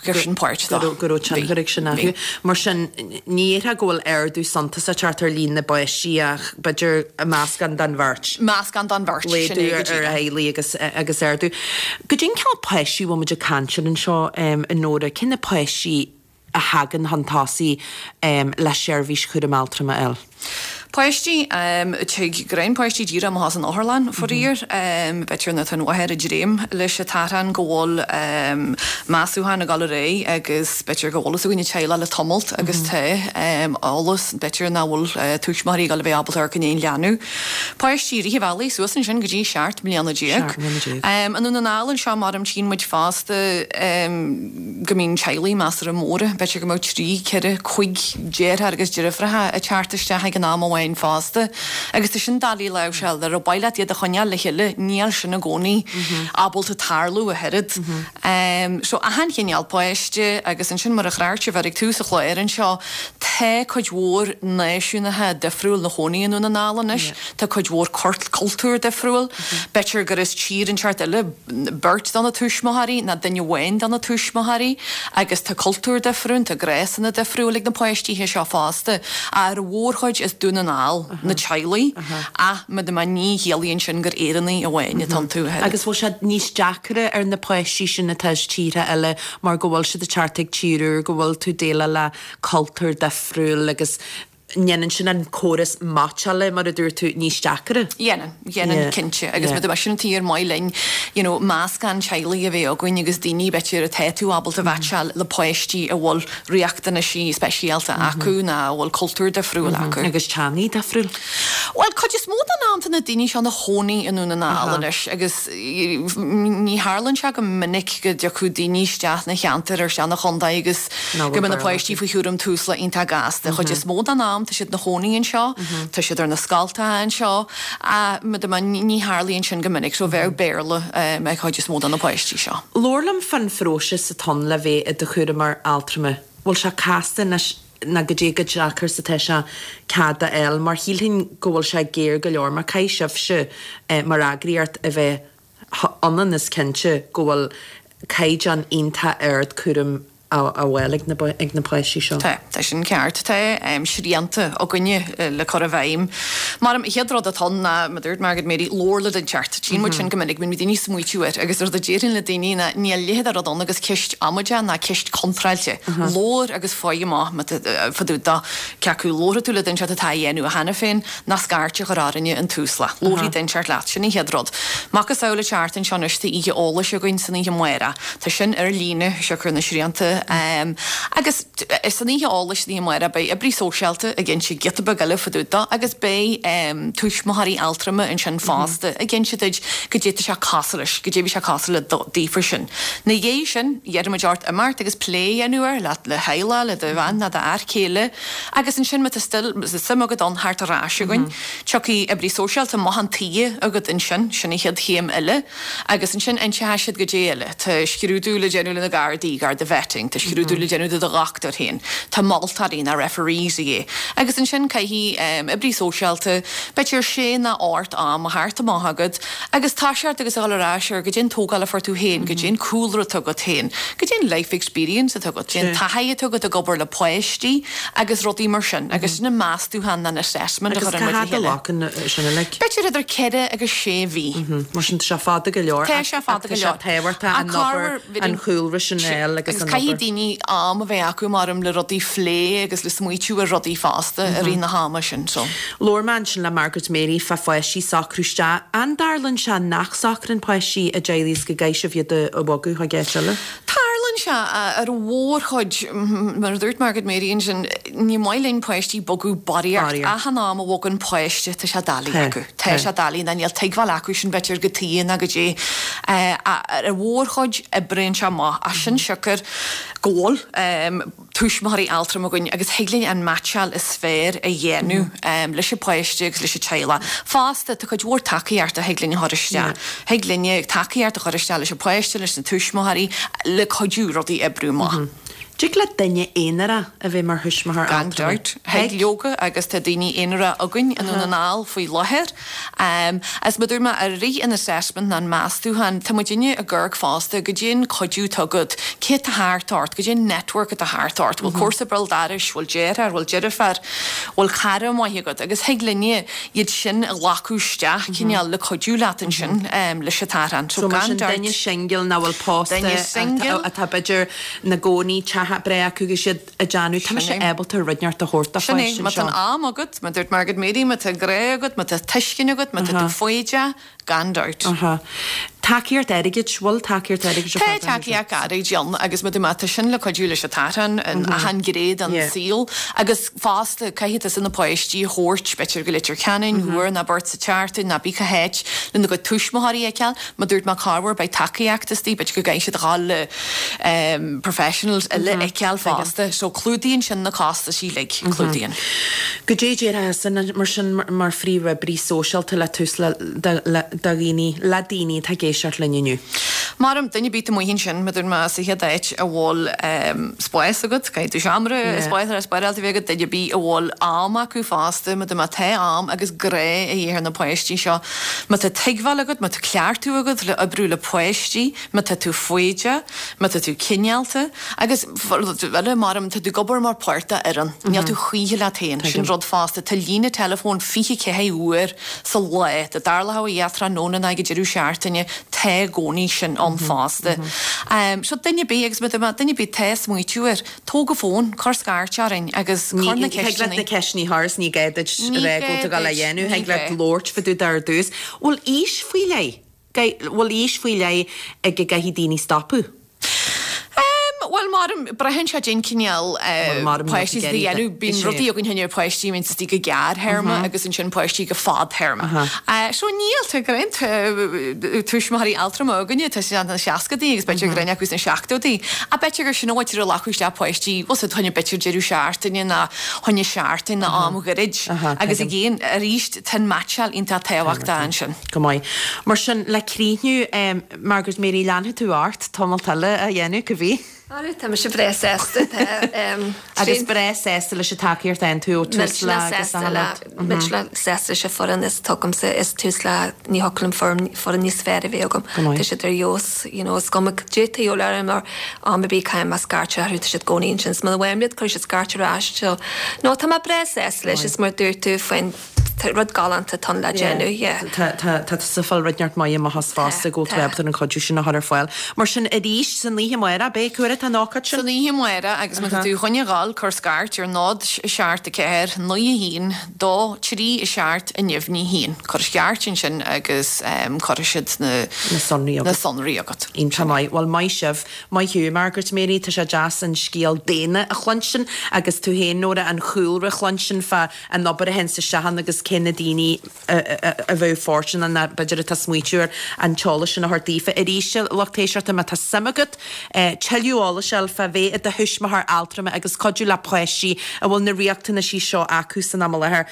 Gur sin páirt dó. Go raibh, go raibh tionchar ag sin orthu. Mar sin, ní dhéarfá go bhfuil ardú suntasach teacht ar líon na bpáistí ach b'fhéidir meascán den bheirt. Meascán den bheirt, sin é go díreach. Laghdú ar theaghlaigh agus, agus ardú. Goidé an cineál páistí a bhfuil muid ag caint ar anseo, a Nóra? Cé na páistí a thagann chun tosaigh le seirbhís chúram altrama a fháil. Páistí, tig greim páistí díreach amach as an otharlann, faraor. B'fhéidir ná tá an mháthair ag dréim leis an t-athrán go bhfuil measúchán ag dul ar aghaidh agus b'fhéidir go bhfuil fhios againn an teaghlach le tamalt agus tá eolas b'fhéidir nach bhfuil tuismitheoirí ag dul a bheith ábalta amharc i ndiaidh an leanbh. Páistí rith an bhealaigh suas ansin go dtí 17 mbliana. I nDún na nGall anseo maram tchíonn muid fosta go mbíonn teaghlaigh measartha móra, b'fhéidir go mbeadh trí, ceithre, cuig deartháir agus deirfiúracha ag teacht isteach ag an am amháin fosta agus tá sin doiligh a láimhseáil, dá mba mhaith leat iad a choinneáil le chéile, níl sin i gcónaí ábalta tarlú ach oiread. So achan chineál páiste agus ansin mar a chonaic sibh ag tús an chláir anseo, tá cuid mhór náisiúnacha difriúil 'na chónaí i nDún na nGall anois, tá cuid mhór cultúr difriúil, b'fhéidir gur as tír inteacht eile, beirt de na tuismitheoirí ná duine amháin de na tuismitheoirí agus tá cultúr difriúil, tá gnásanna difriúil ag na páistithe seo fosta. Ar an mhórchuid as Dún na nGall na teaghlaigh ach ní chiallaíonn sin gur Éireannaigh amháin atá iontu. Agus bhfuil sé níos deacra ar na páistí sin atá as tíortha eile mar go bhfuil siad ag teacht ag tír úr, go bhfuil tú déileáil le cultúr difriúil agus ndéanann sin an córas meaitseála, mar a dúirt tú, níos deacra. Dhéanann, dhéanann, cinnte. Agus mar sin an tuige ar maith linn, you know, meascán teaghlaigh a bheith againn agus daoine, b'fhéidir, atá tú ábalta a mheaitseáil le páistí a bhfuil riachtanaisí speisialta acu nó a bhfuil cultúr difriúil acu. Agus teangaí difriúil. Bhuel, cuid is mó den am tá na daoine seo ina chónaí i nDún na nGall anois agus ní tharlaíonn sé go minic go dtiocfadh daoine isteach 'na cheantar ar isteach 'na chontae agus go mbeadh na páistí faoi chúram Tusla iontach gasta. Chuid is mó den am tá siad 'na chónaí anseo, tá siad ar na scoltacha anseo ach ní tharlaíonn sin go minic so bheadh Béarla ag chuid is mó de na páistí seo. Labhair liom fán phróiseas atá ann le bheith i do chúramóir altrama. Bhfuil sé casta anois ná goidé chomh deacair is atá sé cead a fháil mar shílfinn go bhfuil sé géar go leor mar caithfidh sibhse mar eagraíocht a bheith ionann is cinnte go bhfuil caighdeán iontach ard cúraim á fháil ag na páistí seo. Tá, tá sin ceart. Tá srianta againne le cur i bhfeidhm. Mar an chéad rud atá ann ná, mar a dúirt Margaret Mary, labhair le duine inteacht. Tchíonn muid sin go minic, bíonn daoine ag smaoitiú air agus rud a déarfainn le daoine ná níl a leithéid de rud ann agus ceist amaideach ná ceist contráilte. Labhair agus faigh amach fá dtaobh de cé acu labharfaidh tú le duine inteacht atá á dhéanamh cheana féin ná scairt a chur orainne in Tusla. Labharfaidh duine inteacht leat, sin an chéad rud. Macasamhail an tseachtain seo anois tá oíche eolais againn san oíche amárach. Tá sin ar líne, siocair na srianta. Agus san oíche eolais san oíche amárach beidh oibrí sóisialta ag inse giota beag eile fá dtaobh de agus beidh tuismitheoirí altrama ansin fosta ag inse duit goidé tá sé cosúil leis, goidé bhí sé cosúil le daofa sin. Ina dhiaidh sin, iarrfaimid ort imeacht agus plé a dhéanamh air le do theaghlach, le do bhean nó d'fhear céile. Agus ansin má tá still suim agat ann theacht ar ais chugainn, tiocfaidh oibrí sóisialta amach chun tighe agat ansin, sin an chéad chéim eile. Agus ansin inseoidh siad goidé eile. Tá scrúdú le déanamh le na Gardaí, Garda Vetting, tá scrúdú le déanamh do do dhochtúir féin, tá moltóirí ná referees a dhíth. Agus ansin caithfidh oibrí sóisialta b'fhéidir sé ná ocht am a theacht amach agat agus toiseacht agus a dhul ar ais ar goidé an tógáil a fuair tú féin, goidé an cúlra atá agat féin, goidé an life experience atá agat, goidé an taithí atá agat ag obair le páistí agus rudaí mar sin agus sin an meastúchán ná an assessment a Agus chuireann cá muid le fhad a chéile. ghlacann sin uilig? B'fhéidir idir ceithre agus sé mhí. Mar sin tá sé fada go leor Tá sé fada ach go tá sé leor. tábhachtach Ach an obair, corruair an chúlra sin a fháil agus Agus an caithfidh obair. daoine am a bheith acu maram le rudaí phlé agus le smaoitiú ar rudaí fosta i rith na hama sin so. Labhair mé ansin le Margaret Mary fá pháistí socrú isteach. An dtarlaíonn sé nach socraíonn páistí i dteaghlaigh is go gcaithfidh sibh iad a bhogadh chuig áit eile? Tarlaíonn sé ar an mhórchuid, mar a dúirt Margaret Mary ansin, ní maith linn páistí bogadh barraíocht. Achan am a bhogann páiste tá sé doiligh acu. Tá sé doiligh ná níl tuigbheáil acu sin b'fhéidir cad tuige ná goidé. Ar an mhórchuid oibríonn sé amach as sin siocair go bhfuil tuismitheoirí altrama againn agus thig linn an meaitseáil is fearr a dhéanamh leis an bpáiste agus leis an teaghlach. Fosta, tá cuid mhór tacaíochta a thig linn a chur isteach. Thig linne tacaíocht a chur isteach leis an bpáiste, leis na tuismitheoirí le cuidiú rudaí oibriú amach. Dtig le duine aonarach a bheith mar thuismitheoir Gan altrama. dabht. Thig leoga agus tá daoine aonaracha againn i nDún na nGall faoi láthair. Is mar a dúirt mé, i rith an assessment ná an meastúchán, tá muidinne ag amharc fosta goidé an cuidiú atá agat, cé atá thart ort, goidé an network atá thart ort, bhfuil comharsa béal dorais, bhfuil deartháir, bhfuil deirfiúr, bhfuil cara maith agat agus thig linne iad sin a ghlacadh isteach cineál le cuidiú leat ansin leis an t-athrán. So mar sin duine singil nach bhfuil pósta atá b'fhéidir 'na gcónaí teach breá acu agus iad ag déanamh, tá mise ábalta rud inteacht a thabhairt do Sin é, pháiste má tá anseo. an am agat, mar a dúirt Margaret Mary, má tá grá agat, má tá tuiscint agat, má tá tú foighdeach, gan dabht. Aha. Tacaíocht airgid, bhfuil tacaíocht airgid ar Tá fáil do tacaíocht airgid ann agus mar a dúirt mé, tá sin le cuidiú leis an t-athrán in achan ghné den saol agus fosta caithfidh tusa na páistí a thabhairt, b'fhéidir go Leitir Ceanainn, uair nó beirt sa tseachtain nó cibé cá háit lena gcuid tuismitheoirí a fheiceáil. Mar a dúirt mé corruair beidh tacaíocht istigh, b'fhéidir go gcaithfidh siad a dhul le professionals eile a fheiceáil fosta. So clúdaíonn sin na costais uilig, clúdaíonn. Goidé a déarfá thusa mar sin mar phríomhoibrí sóisialta le Tusla do dhaoine, le daoine atá ag éisteacht linn inniu? Maram, duine ar bith amuigh ansin, mar a dúirt mé sa chéad áit, a bhfuil spás agat, caithfidh tú seomra spás spáráilte a bheith agat, duine ar bith a bhfuil am acu fosta, mar a dúirt mé tá am agus grá a dhíth ar na páistí seo. Má tá tuigbheáil agat, má tá cleachtadh agat le oibriú le páistí, má tá tú foighdeach, má tá tú cineálta, agus rud eile, maram, tá tú ag obair mar páirt de fhoireann, níl tú choíche leat féin, sin rud fosta, tá líne teileafóin 24 uair sa lá, dá dtarlódh a dhath tráthnóna ná ag an deireadh seachtaine, tá i gcónaí sin ann fosta. So duine ar bith, agus má tá duine ar bith atá ag smaoitiú air, Tóg an fón, cuir scairt orainn agus cuir na Thig leat ceisteanna. na ceisteanna a chur is ní gá duit Ní a rá gá go bhfuil tú ag dul a duit, dhéanamh. ní Thig leat gá. labhairt fá dtaobh de ar dtús. Bhfuil aois faoi leith, bhfuil aois faoi leith ag a gcaithfidh daoine stopadh? Em, bhuel, maram, braitheann sé cén cineál Bhuel, maram níl páistí tú a ag iarraidh dhéanamh. Bíonn Is é. rudaí againn choinne páistí a bhíonn istigh go gearrthéarma agus ansin páistí go fadthéarma. So níl, tá roinnt tuismitheoirí altrama againne, tá siad sna seascadaí agus b'fhéidir roinnt acu sna seachtóidí. Ach b'fhéidir gur sin an mhuintir a ghlacadh isteach páistí, bhfuil 's a'd, choinne b'fhéidir deireadh seachtaine ná choinne seachtain ná am ghairid. Agus again, arís, tá an meaitseáil iontach tábhachtach ansin. Go maith. Mar sin, le críochnú, Margaret Mary, leanfaidh tú ort tamalt eile a dhéanamh, cibé? Ara, tá mise breá sásta. Tá Agus breá sásta leis an tacaíocht a fhaigheann tú ó Tusla agus achan rud. Millteanach sásta leis an foireann is atá agamsa is Tusla ní thiocfadh liom foireann foireann níos fearr a bheith agam. Go maith. Tá siad ar fheabhas, you know, is cuma goidé atá de dhíobháil orm ar am ar bith caithfidh mé scairt orthu, tá siad i gcónaí ansin. Is muna bhfaighim iad cuirfidh siad scairt ar ais. So, no, tá mé breá sásta leis is mar a dúirt tú faoin rud galánta atá ann le déanamh, yeah. Tá, tá, tá tusa ag fáil rud neart maith amach as fosta go bhfuil tú ábalta an cuidiú sin a chur ar fáil. Mar sin, arís, san oíche amárach, beidh, cá huair atá an ócáid sin? San oíche amárach agus má tá tú chun a dhul, cuir scairt ar 0 7 4 9 1 2 3 7 0 1. Cuir scairt ansin agus cuirfidh siad na Na sonraí na agat. sonraí agat. Iontach maith. Bhuel, maith sibh. Maith thú, Margaret Mary, tá sé deas an scéal daonna a chluinstin agus tú féin, Nóra, an chúlra a chluinstin fá an obair a théanns isteach ann agus cé na daoine a bheadh fóirsteanach ná b'fhéidir atá ag smaoitiú ar an t-eolas sin a thabhairt daofa. Arís, a lucht éisteachta, má tá suim agat tuilleadh eolais a fháil fá bheith i do thuismitheoir altrama agus cuidiú le páistí a bhfuil na riachtanaisí seo acu san am i láthair,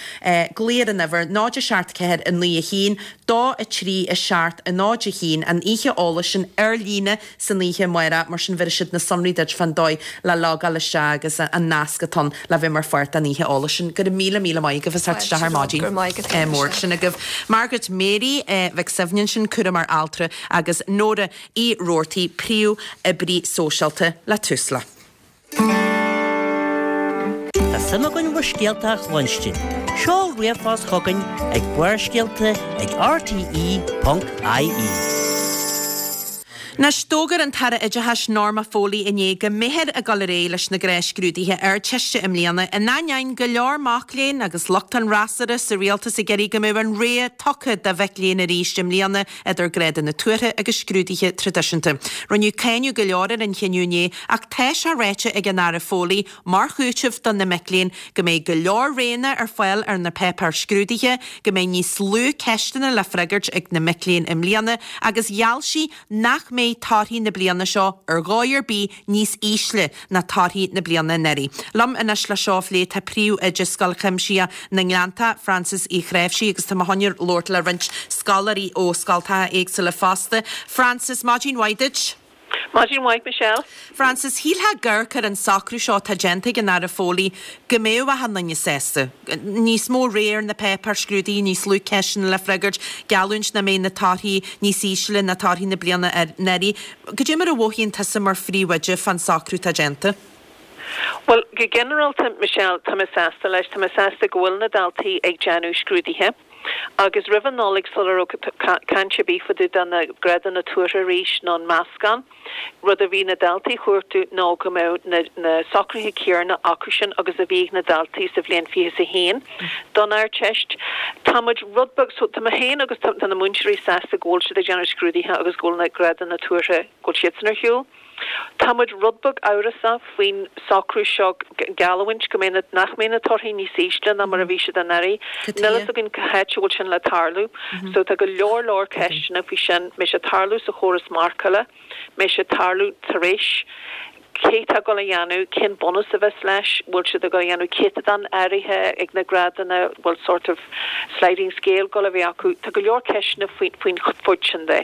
glaoigh ar an uimhir 0 7 4 9 1 2 3 7 0 1, an oíche eolais sin ar líne san oíche amárach, mar sin bhéarfaidh siad na sonraí duit fán dóigh le logáil isteach agus an nasc atá ann le bheith mar pháirt den oíche eolais sin. Go raibh míle míle maith agaibh as theacht isteach ar maidin. Go raibh maith agat féin, Mór Michelle. sin agaibh. Margaret Mary Mhic Suibhne ansin, cúramóir altra, agus Nóra Uí Robhartaigh, príomh-oibrí sóisialta le Tusla. Tá suim againn bhur scéalta a chluinstin. Seol ríomhphost chugainn ag barrscéalta ag rte.ie. Anois, d'fhógair an tAire Oideachais Norma Foley inné go mbeifear ag dul ar aghaidh leis na gnáthscrúduithe Ardteiste i mbliana, in ainneoin go leor mac léinn agus lucht an fhreasúra sa rialtas ag iarraidh go mbeadh an rogha tugtha do mhic léinn arís i mbliana idir grádanna tuartha agus scrúduithe traidisiúnta. Rinneadh cáineadh go leor ar an chinneadh inné ach tá sé ráite ag an Aire Foley mar chúiteamh do na mic léinn go mbeidh go leor roghanna ar fáil ar na páipéir scrúdaithe, go mbeidh níos lú ceisteanna le freagairt ag na mic léinn i mbliana agus gheall sí nach mbeidh torthaí na bliana seo ar dhóigh ar bith níos ísle ná torthaí na bliana anuraidh. Liom anois le seo a phlé tá Príomhoide Scoil Chuimsitheach na nGleanntach, Frances Uí Chnáimhsí agus tá mé chun labhairt le roinnt scoláirí ó scoltacha éagsúla fosta. Frances, maidin mhaith duit. Maidin mhaith, Michelle. Frances, shílfeá ag amharc ar an socrú seo atá déanta ag an Aire Foley go mbeadh achan duine sásta. Níos mó rogha ar na páipéir scrúdaithe, níos lú ceisteanna le freagairt, geallúint nach mbeidh na torthaí níos ísle ná torthaí na bliana anuraidh. Cad é mar a mhothaíonn tusa mar phríomhoide fán socrú atá déanta? Bhuel, go ginearálta, Michelle, tá mé sásta leis. Tá mé sásta go bhfuil na daltaí ag déanamh scrúduithe. Agus roimh an Nollaig, sula raibh caint ar bith fá dtaobh de na grádanna tuartha arís nó an meascán, rud a bhí na daltaí a chuartú ná go mbeadh na socruithe céarna acusan agus a bhí ag na daltaí sa bhliain 21 don Ardteist. Tá muid rud beag, so tá mé féin agus tá na múinteoirí sásta go bhfuil siad ag déanamh scrúduithe agus go bhfuil na grádanna tuartha, go bhfuil siadsan ar shiúl. Tá muid rud beag amhrasach faoin socrú seo, geallúint go mbeidh na, nach mbeidh na torthaí níos ísle ná mar a bhí siad anuraidh. Níl fhios againn cá háit a bhfuil sin le tarlú. So tá go leor leor ceisteanna faoi sin. Mbeidh sé ag tarlú sa chóras marcála? Mbeidh sé ag tarlú tar éis? Cé tá ag dul a dhéanamh? Cén bunús a bheas leis? Bhfuil siad ag dul a dhéanamh céatadán áirithe ag na grádanna? Bhfuil sort of sliding scale ag dul a bheith acu. Tá go leor ceisteanna faoin chuid sin de.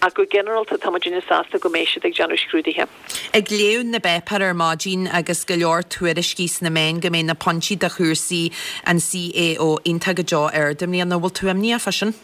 Ach go ginearálta tá muidinne sásta go mbeidh siad ag déanamh scrúduithe. Ag léamh na bpáipéar ar maidin agus go leor tuairiscí sna meáin go mbeidh na pointí do chúrsaí an CAO iontach go deo ard i mbliana. Bhfuil tú imníoch fá sin?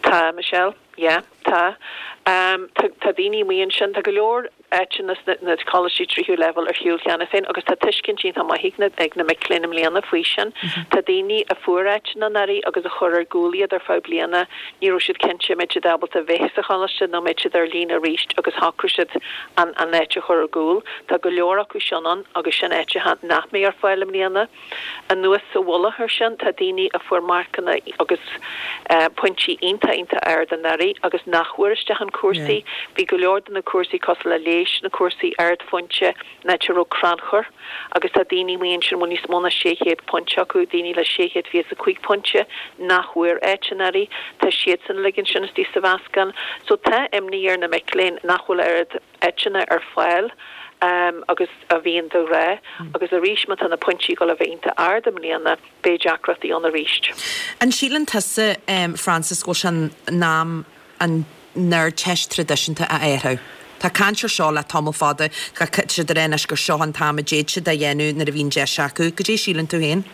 Tá, Michelle. Yeah, tá. Tá daoine amuigh ansin, tá go leor áiteanna sna coláistí tríú leibhéal ar shiúl cheana féin agus tá tuiscint iontach maith ag na ag na mic léinn i mbliana faoi sin. Tá daoine a fuair áiteanna anuraidh agus a chuir ar gcúl iad ar feadh bliana, ní raibh siad cinnte an mbeadh siad ábalta bheith sa choláiste nó an mbeadh siad ar líne arís agus shocraigh siad an an áit a chur ar gcúl. Tá go leor acu sin ann agus sin áiteacha nach mbeidh ar fáil i mbliana. Anuas sa mhullach air sin, tá daoine a fuair marcanna agus pointí iontach, iontach ard anuraidh agus nach bhfuair isteach in cúrsaí. Bhí go leor de na cúrsaí cosúil le léigheas, na cúrsaí ardphointe, in áit a raibh crannchur agus tá daoine amuigh ansin a bhfuil níos mó ná 600 pointe acu, daoine le 625 pointe nach bhfuair áit anuraidh, tá siadsan uilig ansin istigh sa mheascán. So tá imní ar na mic léinn nach bhfuil oiread. áiteanna ar fáil agus a bhíonn de ghnáth agus arís má tá na pointí ag dul a bheith iontach ard i mbliana beidh deacrachtaí ann arís. An síleann tusa, Frances, go bhfuil sé in am an Ardteist traidisiúnta a athrú? Tá caint ar seo le tamall fada, tá siad ag rá anois gur seo an t-am a d'fhéadfadh siad é a dhéanamh nuair a bhíonn deis acu. Goidé a síleann tú féin?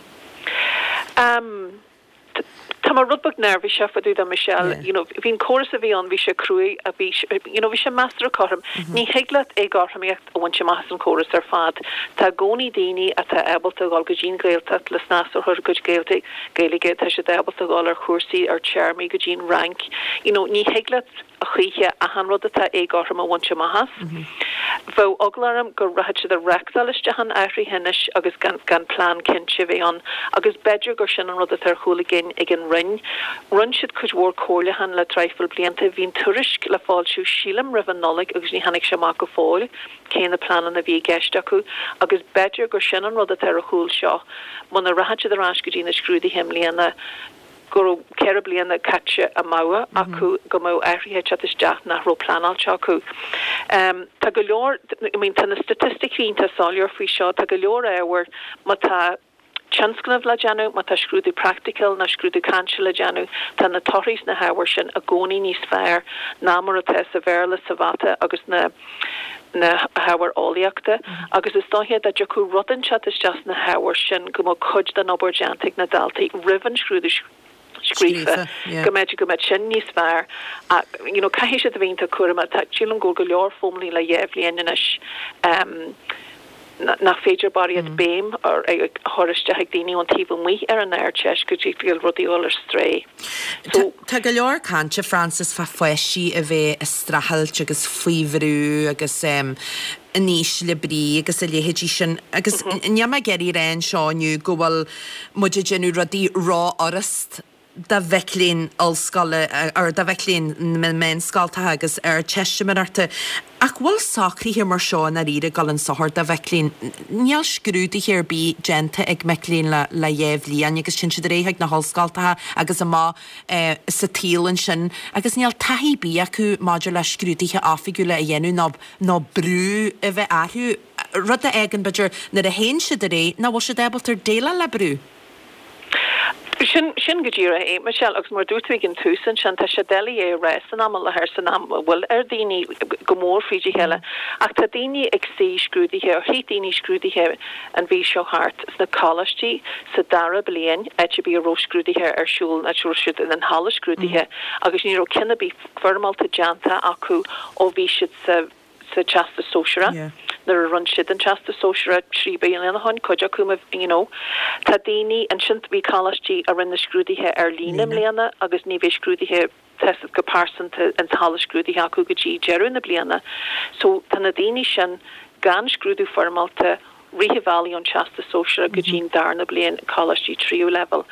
Tá mé rud beag neirbhíseach fá dtaobh de Michelle, you know, bhí an córas a bhí ann, bhí sé cruaidh, bhí, you know, bhí sé measartha cothrom. Ní thig leat éagothromaíocht a bhaint amach as an chóras ar fad. Tá i gcónaí daoine atá ábalta a dhul go dtí an Ghaeltacht le snas a chur ar a gcuid Gaeilge, Gaeilge, tá siad ábalta a dhul ar chúrsaí ar téarmaí go dtí an Fhrainc. You know, ní thig leat a choíche achan rud atá éagothrom a bhaint amach as. Bheadh eagla orm go rachadh siad ag reachtáil isteach an athraithe anois agus gan gan plean cinnte a bheith ann agus b'fhéidir gur sin an rud atá ar chúl a gcinn ag an Roinn. Rinne siad cuid mhór comhairliúchán le traidhfil blianta. Bhí an tuairisc le foilsiú sílim roimh an Nollaig agus ní tháinig sé amach go fóill cé na pleananna a bhí i gceist acu agus b'fhéidir gur sin an rud atá ar a chúl seo. Muna rachaidh siad ar ais go dtí na scrúduithe i mbliana, go raibh 4 bliana caite amú acu, go mbeadh athruithe ag teacht isteach nach raibh pleanáilte acu. Tá go leor, I mean tá na staitisticí iontach soiléir faoi seo, tá go leor ábhair má tá tionscnamh le déanamh, má tá scrúdú praiticiúil nó scrúdú cainte le déanamh, tá na torthaí sna hábhair sin i gcónaí níos fearr ná mar atá sa Bhéarla, sa Mhata agus na na hábhair eolaíochta agus is dóiche dá dtiocfadh rud inteacht isteach sna hábhair sin go mbeadh cuid den obair déanta ag na daltaí roimh an scrúdú scríofa, go mb'fhéidir go mbeadh sin níos fearr ach you know caithfidh siad a bheith iontach cúramach. Tá, sílim go bhfuil go leor foghlamtha le dhá bhliain anois. Nach féidir barraíocht béim a chur isteach ag daoine ón taobh amuigh ar an Ardteist go dtí go bhfuil rudaí ag dul ar strae. So. Tá go leor cainte, Frances, fá pháistí a bheith ag streachailt agus faoi bhrú agus in ísle brí agus a leithéidí sin agus níl mé ag iarraidh a rá anseo inniu go bhfuil muid ag déanamh rudaí rófhurast do mhic léinn ollscoile or do mhic léinn na meánscoltacha agus Ardteistiméireachta. Ach bhfuil socruithe mar seo i ndáiríre ag dul chun sochair do mhic léinn? Níl scrúduithe ar bith déanta ag mic léinn le le dhá bhliain agus téann siad ar aghaidh chuig na hollscoltacha agus amach sa tsaol ansin agus níl taithí ar bith acu maidir le scrúduithe oifigiúla a dhéanamh nó nó brú a bheith orthu, rud a fhágann b'fhéidir nuair a théann siad ar aghaidh nach bhfuil siad ábalta déileáil le brú. Sin, sin go díreach é, Michelle, agus mar a dúirt tú ag an tús ansin, tá sé doiligh é a rá san am i láthair, san am a bhfuil ar daoine go mór fríd a chéile, ach tá daoine ag suí scrúduithe, or shuigh daoine scrúduithe an mhí seo thart sna coláistí sa dara bliain, áit ar bith a raibh scrúduithe ar siúl, áit a raibh siad in an halla scrúduithe agus ní raibh ceann ar bith foirmeálta déanta acu ó bhí siad sa. sa Teastas Sóisearach, nuair a rinne siad an Teastas Sóisearach 3 bliana ó shin, cuid acu, you know. Tá daoine ansin, bhí coláistí a rinne na scrúduithe ar líne i mbliana agus ní bheidh scrúduithe teastas go pearsanta ins halla scrúduithe acu go dtí deireadh na bliana. So tá na daoine sin gan scrúdú foirmeálta rith an bhealaigh ón Teastas Sóisearach go dtí an darna bliain coláistí tríú leibhéal.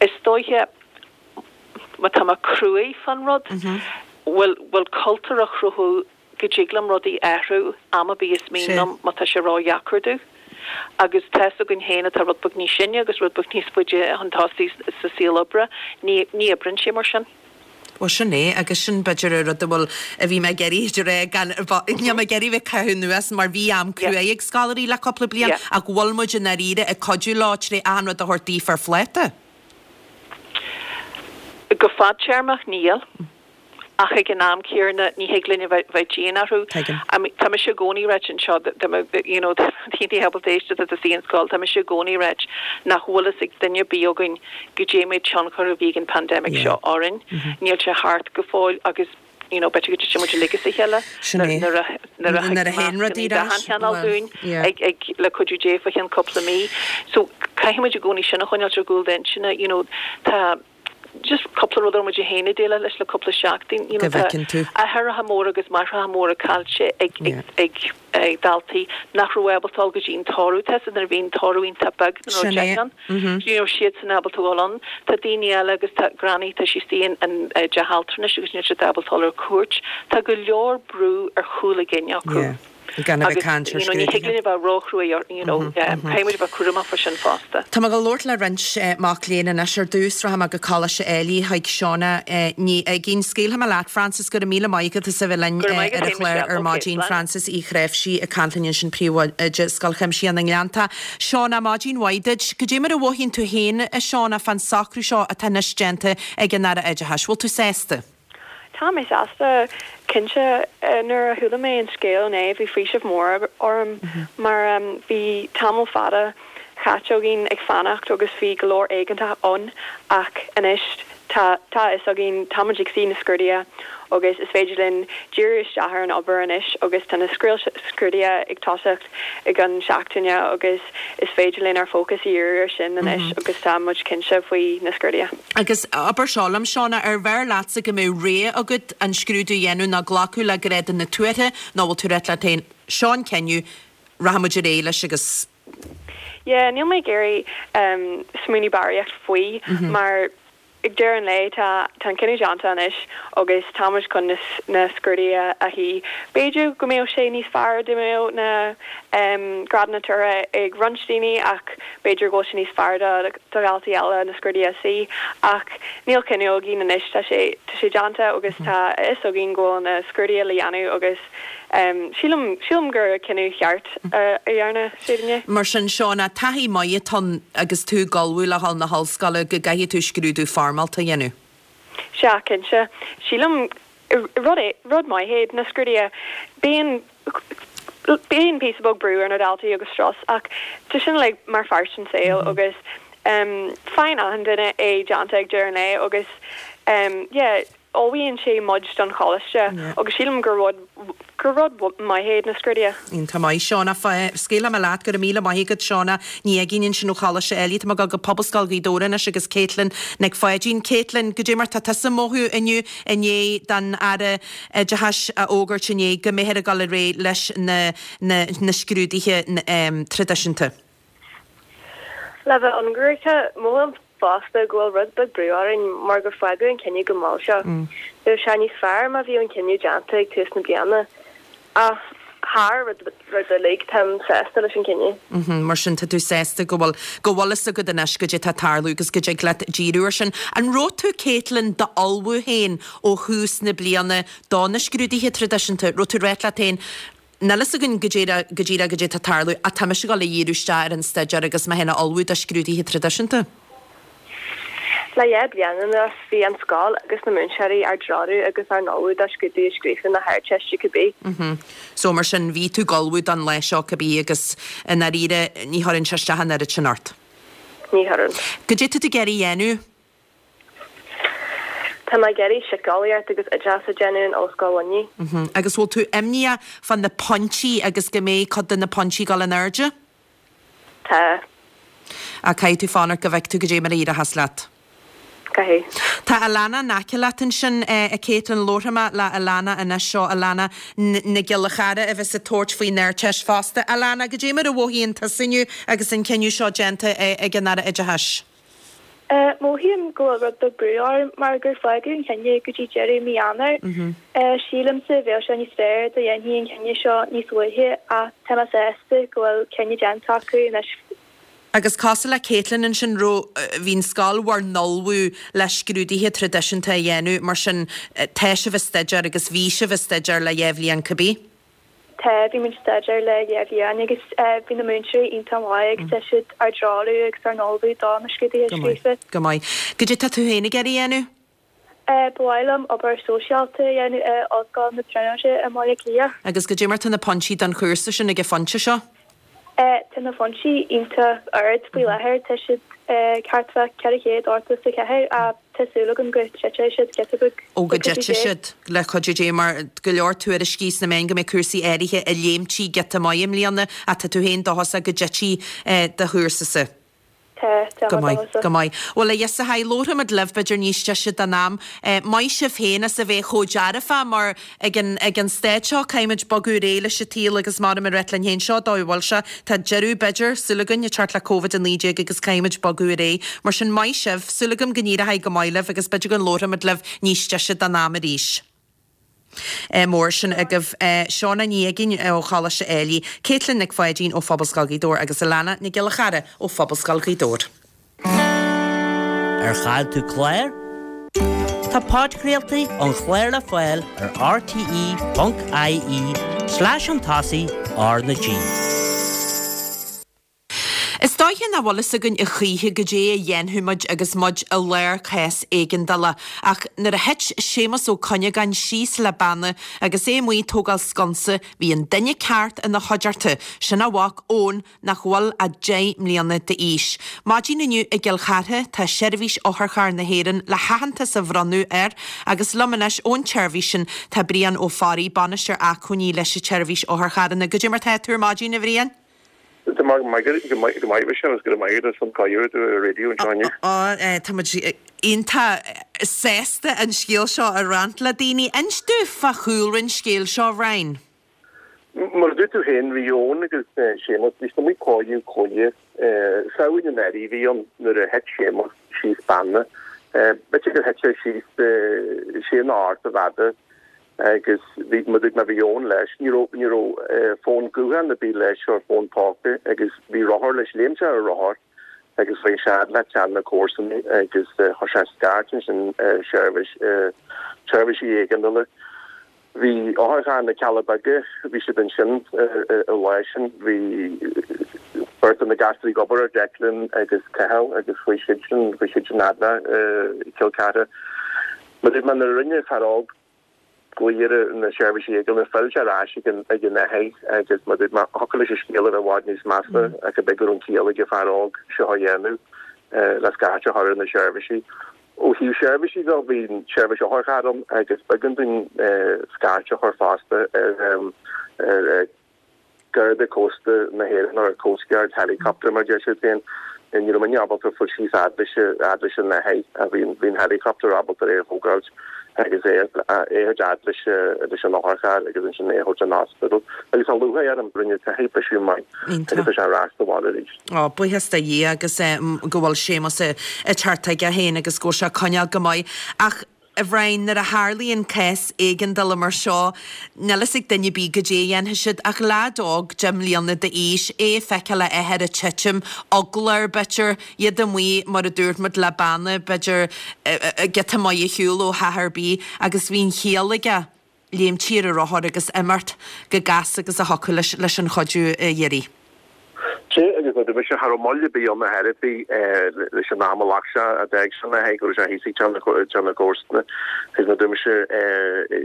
Is dóiche má tá mé cruaidh fán rud, bhfuil, bhfuil cultúr á chruthú go dtig liom rudaí a athrú am ar bith is mian liom má tá sé ródheacair domh. Agus tá's againn féin atá rud beag níos sine agus rud beag níos faide chun tosaigh sa saol oibre, ní, ní oibríonn sé mar sin. Bhuel, sin é, agus sin b'fhéidir an rud a bhfuil, a bhí mé ag iarraidh a rá gan, níl mé ag iarraidh bheith ag caitheamh anuas mar bhí am cruaidh ag scoláirí le cúpla bliain ach bhfuil muid i ndáiríre ag cuidiú leo tré achan rud a thabhairt daofa ar phláta? Go fadtéarmach, níl. Ach ag an am céanna, ní thig linn a bheith dian orthu. Tá mise i gcónaí ag ráit anseo, you know, tá daoine ábalta éisteacht atá sa scoil, tá mise i gcónaí ag ráit nach bhfuil fhios ag duine ar bith againn goidé méid tionchar a bhí ag an pandemic seo orainn. Níl sé thart go fóill agus you know, b'fhéidir go dtitfidh muid uilig as a chéile nuair a nuair a Nuair a théann rudaí ar ais, d'achan chineál dúinn ag ag le cuidiú Dé fá cheann cúpla mí. So caithfidh muid i gcónaí sin a choinneáilt ar gcúl d'intinne, you know, tá just cúpla rud a raibh muid féin ag déileáil leis le cúpla seachtain, you know, Go tá bhfeiceann tú. athraithe móra agus máithreacha móra caillte ag ag ag ag daltaí nach raibh ábalta dul go dtí an toradh, tá nuair a bhí an toradh iontach beag, nuair a raibh Sin é. deich ann. Ní raibh siadsan ábalta dul ann. Tá daoine eile agus tá Granny, tá sí istigh in an teach altranais agus níl siad ábalta dul ar cuairt. Tá go leor brú ar chúl a gcinn acu. Yeah. Gan a bheith Agus ag caint ar you know ní thig scrúduithe. linn a bheith róchruaidh or you know caithfidh muid a bheith cúramach fá sin fosta. Tá mé ag labhairt le roinnt mac léinn anois. Ar dtús, rachaidh mé go Coláiste Ailigh chuig Shauna Ní Uiginn. Scaoilfidh mé leat, Frances, go raibh míle maith agat as a bheith linn Go raibh maith agat ar an féin, chlár Michelle. ar Ok, maidin. slán. Frances Uí Chnáimhsí ag caint linn ansin, Príomhoide Scoil Chuimsitheach na nGleanntach. Shauna, maidin mhaith duit. Goidé mar a mhothaíonn tú féin, a Shauna, fán socrú seo atá anois déanta ag an Aire Oideachais? Bhfuil tú sásta? Tá mé sásta, cinnte. Nuair a chuala mé an scéal inné bhí faoiseamh mór orm mar bhí tamall fada chaite againn ag fanacht agus bhí go leor éiginnteacht ann ach anois tá tá a fhios againn, tá muid ag suí na scrúduithe agus is féidir linn díriú isteach ar an obair anois agus tá na scrúduithe ag tosacht i gceann seachtaine agus is féidir linn ár fócas a dhíriú ar sin anois agus tá muid cinnte faoi na scrúduithe. Agus abair seo liom, Shauna, ar bhfearr leatsa go mbeadh rogha agat an scrúdú a dhéanamh ná glacadh le grádanna tuartha nó bhfuil tú ag ráit leat féin, seo an cinneadh, rachaidh muid ar aghaidh leis agus. Yeah, níl mé ag iarraidh smaoineamh barraíocht faoi mar ag deireadh an lae tá tá an cinneadh déanta anois agus tá muid chun na na scrúduithe a shuí. B'fhéidir go mbeadh sé níos fearr dá mbeadh na grádanna tuartha ag roinnt daoine ach b'fhéidir go bhfuil sé níos fearr do do dhaltaí eile na scrúduithe a shuí ach níl cinneadh againn anois tá sé tá sé déanta agus tá a fhios againn go bhfuil na scrúduithe le dhéanamh agus Sílim, sílim gur cinneadh cheart a dhearna siad inné. Mar sin, Shauna, taithí maith atá ann agus tú ag ullmhú le dhul na hollscoile go gcaithfidh tú scrúdú foirmeálta a dhéanamh. Sea, cinnte. Sílim, rud é, rud maith é na scrúduithe. Bíonn, bíonn píosa beag brú ar na daltaí agus strus ach tá sin uilig mar pháirt den saol agus faigheann achan duine é déanta ag deireadh an lae agus yeah. Ullmhaíonn sé muid don choláiste agus sílim gur rud gur rud maith iad na scrúduithe. Iontach maith, Shauna. Scaoilfidh mé leat, go raibh míle maith agat, Shauna Ní Aigín ansin ó Choláiste Ailigh. Tá mé ag dul go Pobalscoil Ghaoth Dobhair anois agus Caitlin Nic Pháidín. Caitlin, goidé mar tá tusa ag mothú inniu i ndiaidh don Aire Oideachais a fhógairt inné go mbeifear ag dul ar aghaidh leis na na na scrúduithe traidisiúnta? Le bheith ionraic, mothaím fosta go bhfuil rud beag brú orainn mar gur fágadh an cinneadh go mall seo. Bheadh sé níos fearr má bhíodh an cinneadh déanta ag tús na bliana. Ach thar rud uilig, táim sásta leis an cinneadh. Mar sin tá tú sásta go bhfuil go bhfuil fhios agat anois goidé tá ag tarlú agus go dtig leat díriú ar sin. An raibh tú, Caitlin, d'ullmhú féin ó thús na bliana do na scrúduithe traidisiúnta? Raibh tú ag ráit leat féin, Níl fhios againn go díreach go díreach goidé tá ag tarlú ach tá mise ag dul a dhíriú isteach ar an staidéar agus mé féin a ullmhú do scrúduithe traidisiúnta. Le dhá bliain anuas bhí an scoil agus na múinteoirí ár dtreorú agus ár n-ullmhú do scrúduithe scríofa na hArdteiste cibé. So mar sin bhí tú ag ullmhú don lá seo cibé agus i ndáiríre ní chuireann sé isteach an oiread sin ort. Ní chuireann. Goidé tá tú ag iarraidh a dhéanamh? Tá mé ag iarraidh síceolaíocht agus oideachas a dhéanamh in Ollscoil Luimnigh. Agus bhfuil tú imníoch fá na pointí agus go mbeidh cuid de na pointí ag dul in airde? Tá. Ach caithfidh tú fanacht go bhfeicfidh tú goidé mar a éireochas leat. Caithfidh. Tá Alana in aice leat ansin, a Caitlin. Labharfaidh mé le Alana anois. Seo Alana Nic Giolla Chara a bheas ag tabhairt faoin Ardteist fosta. Alana, goidé mar a mhothaíonn tusa inniu agus an cinneadh seo déanta ag an Aire Oideachais? Mothaím go bhfuil rud beag brú orm mar gur fágadh an cinneadh go dtí deireadh mí Eanáir. Sílimse bheadh sé níos fearr dá dhéanfaí an cinneadh seo níos luaithe ach tá mé sásta go bhfuil cinneadh déanta acu anois. Agus cosúil le Caitlin ansin, raibh, bhí an scoil bhur n-ullmhú le scrúduithe traidisiúnta a dhéanamh, mar sin tá sibh ag staidéar agus bhí sibh ag staidéar le dhá bhliain cibé. Tá, bhí muid ag staidéar le dhá bhliain agus bhí na múinteoirí iontach maith agus tá siad ár dtreorú agus ár n-ullmhú do na scrúduithe Go maith, scríofa. go maith. Goidé tá tú féin ag iarraidh a dhéanamh? Ba mhaith liom obair sóisialta a dhéanamh i Ollscoil na Tríonóide i mBaile Átha Cliath. Agus goidé mar tá na pointí don chúrsa sin ag an phointe seo? Tá na pointí iontach ard faoi láthair, tá siad thart fá 484 ach tá súil agam go dtitfidh siad giota beag Ó go dtitfidh siad, le cuidiú Dé, mar go leor tuairiscí sna meáin go mbeidh cúrsaí áirithe ag léimtí giota maith i mbliana ach tá tú féin dóchasach go dtitfidh do chúrsa-sa. Tá, tá Go maith, go maith. Bhuel, a Dheasaitheoirí, labharfaimid libh b'fhéidir níos deise den am. Maith sibh féin as a bheith chomh dearfach mar ag an, ag an staid seo caithfimid bogadh ar aghaidh leis an tsaol agus mar a rá linn féin, seo an dóigh a bhfuil sé. Tá deireadh, b'fhéidir, súil againn, ag teacht le Covid-19 agus caithfimid bogadh ar aghaidh. Mar sin, maith sibh, súil agam go n-éireoidh go maith libh agus b'fhéidir go labharfaimid libh níos deise den am arís. Mór sin agaibh. Shauna Ní Uiginn ó Choláiste Ailigh, Caitlin Nic Pháidín ó Phobalscoil Ghaoth Dobhair agus Alana Nic Giolla Chara ó Phobalscoil Ghaoth Dobhair. Ar chaill tú clár? Tá podchraoltaí an chláir le fáil ar rte.ie slash chun tosaigh R na G. Is dóiche nach bhfuil fhios againn a choíche goidé a dhéanfaidh muid agus muid i lár cás éigeandála, ach nuair a thit Séamus Ó Cuinneagáin síos le banna agus é amuigh ag tógáil sconsa, bhí an duine ceart ina chuideachta, sin a mhac Eoin nach bhfuil ach 10 mbliana d'aois. Maidin inniu i gCill Chartha tá Seirbhís Otharcharr na hÉireann le haitheantas a bhronnadh air agus liom anois ón tseirbhís sin tá Brian Ó Fearraigh, Bainisteoir Acmhainní leis an tSeirbhís Otharcharranna. Goidé mar tá tú ar maidin, a Bhriain? Go maith, go maith, Michelle, agus go raibh maith agat as an cuireadh do raidió anseo inniu. Á, tá muid iontach sásta an scéal seo a roinnt le daoine. Inis domh fá chúlra an scéil seo, a Bhriain. Mar a dúirt tú féin, bhí Eoin agus Séamus, bhí siad amuigh ag cóiriú claí. Samhain anuraidh a bhí ann nuair a thit Séamus síos beanna. B'fhéidir gur thit sé síos sé nó ocht i bhfada. Agus bhí, mar a dúirt mé, bhí Eoin leis. Ní raibh, ní raibh fón gutháin ar bith leis or fón póca agus bhí rothar leis. Léim sé ar a rothar agus chuaigh sé fhad le ceann de na comharsana agus chuir sé scairt ansin ar seirbhís, seirbhísí éigeandála. Bhí otharcharr na Cealla Beaga, bhí siad ansin an lá sin. Bhí beirt de na gasúir ag obair air, Declan agus Cathal agus chuaigh siad sin, chuaigh siad sin fhad le Cill Chartha. Mar a dúirt mé, nuair a rinne fear óg glaoch ar na seirbhísí éigeandála, phill sé ar ais ag an ag an athair agus mar a dúirt mé, thiocfadh leis an scéal a bheith i bhfad níos measa ach ab é go raibh an ciall ag an fear óg seo a dhéanamh le scairt a chur ar na seirbhísí. Ó thaobh seirbhísí de, bhí an tseirbhís otharchairr ann agus b'éigean dúinn scairt a chur fosta ar Garda Cósta na hÉireann, ar Coast Guard Helicopter mar a deir siad féin. Ní raibh muidne ábalta fáil síos fhad leis fhad leis an athair ach bhí bhí an helicopter ábalta é a thógáilt agus é a thabhairt fhad leis leis an otharcharr agus ansin é a thabhairt an ospidéal. Agus tá lúcháir orm, rinne an t-athair briseadh maith agus tá sé ar ais sa bhaile arís. Ó, buíochas do Dhia agus go bhfuil Séamus ag teacht chuige féin agus go bhfuil sé ag coinneáil go maith. Ach, a Bhriain, nuair a tharlaíonn cás éigeandála mar seo, níl fhios ag duine ar bith goidé a dhéanfaidh siad, ach leaid óg 10 mbliana d'aois, é ag feiceáil a athair ag titim, eagla air b'fhéidir, iad amuigh mar a dúirt muid le banna, b'fhéidir, giota maith ar shiúl ó theach ar bith agus bhí an chiall aige. léimt ar a rothar agus imeacht chomh gasta agus a thiocfadh leis leis an chuidiú a iarraidh. Sea, agus nuair a bhí sé, cha raibh moill ar bith ann ar chor ar bith leis an am a ghlac sé, a d'fhág sé an athair go raibh sé thíos ag teach na comharsana. Agus nuair a bhí sé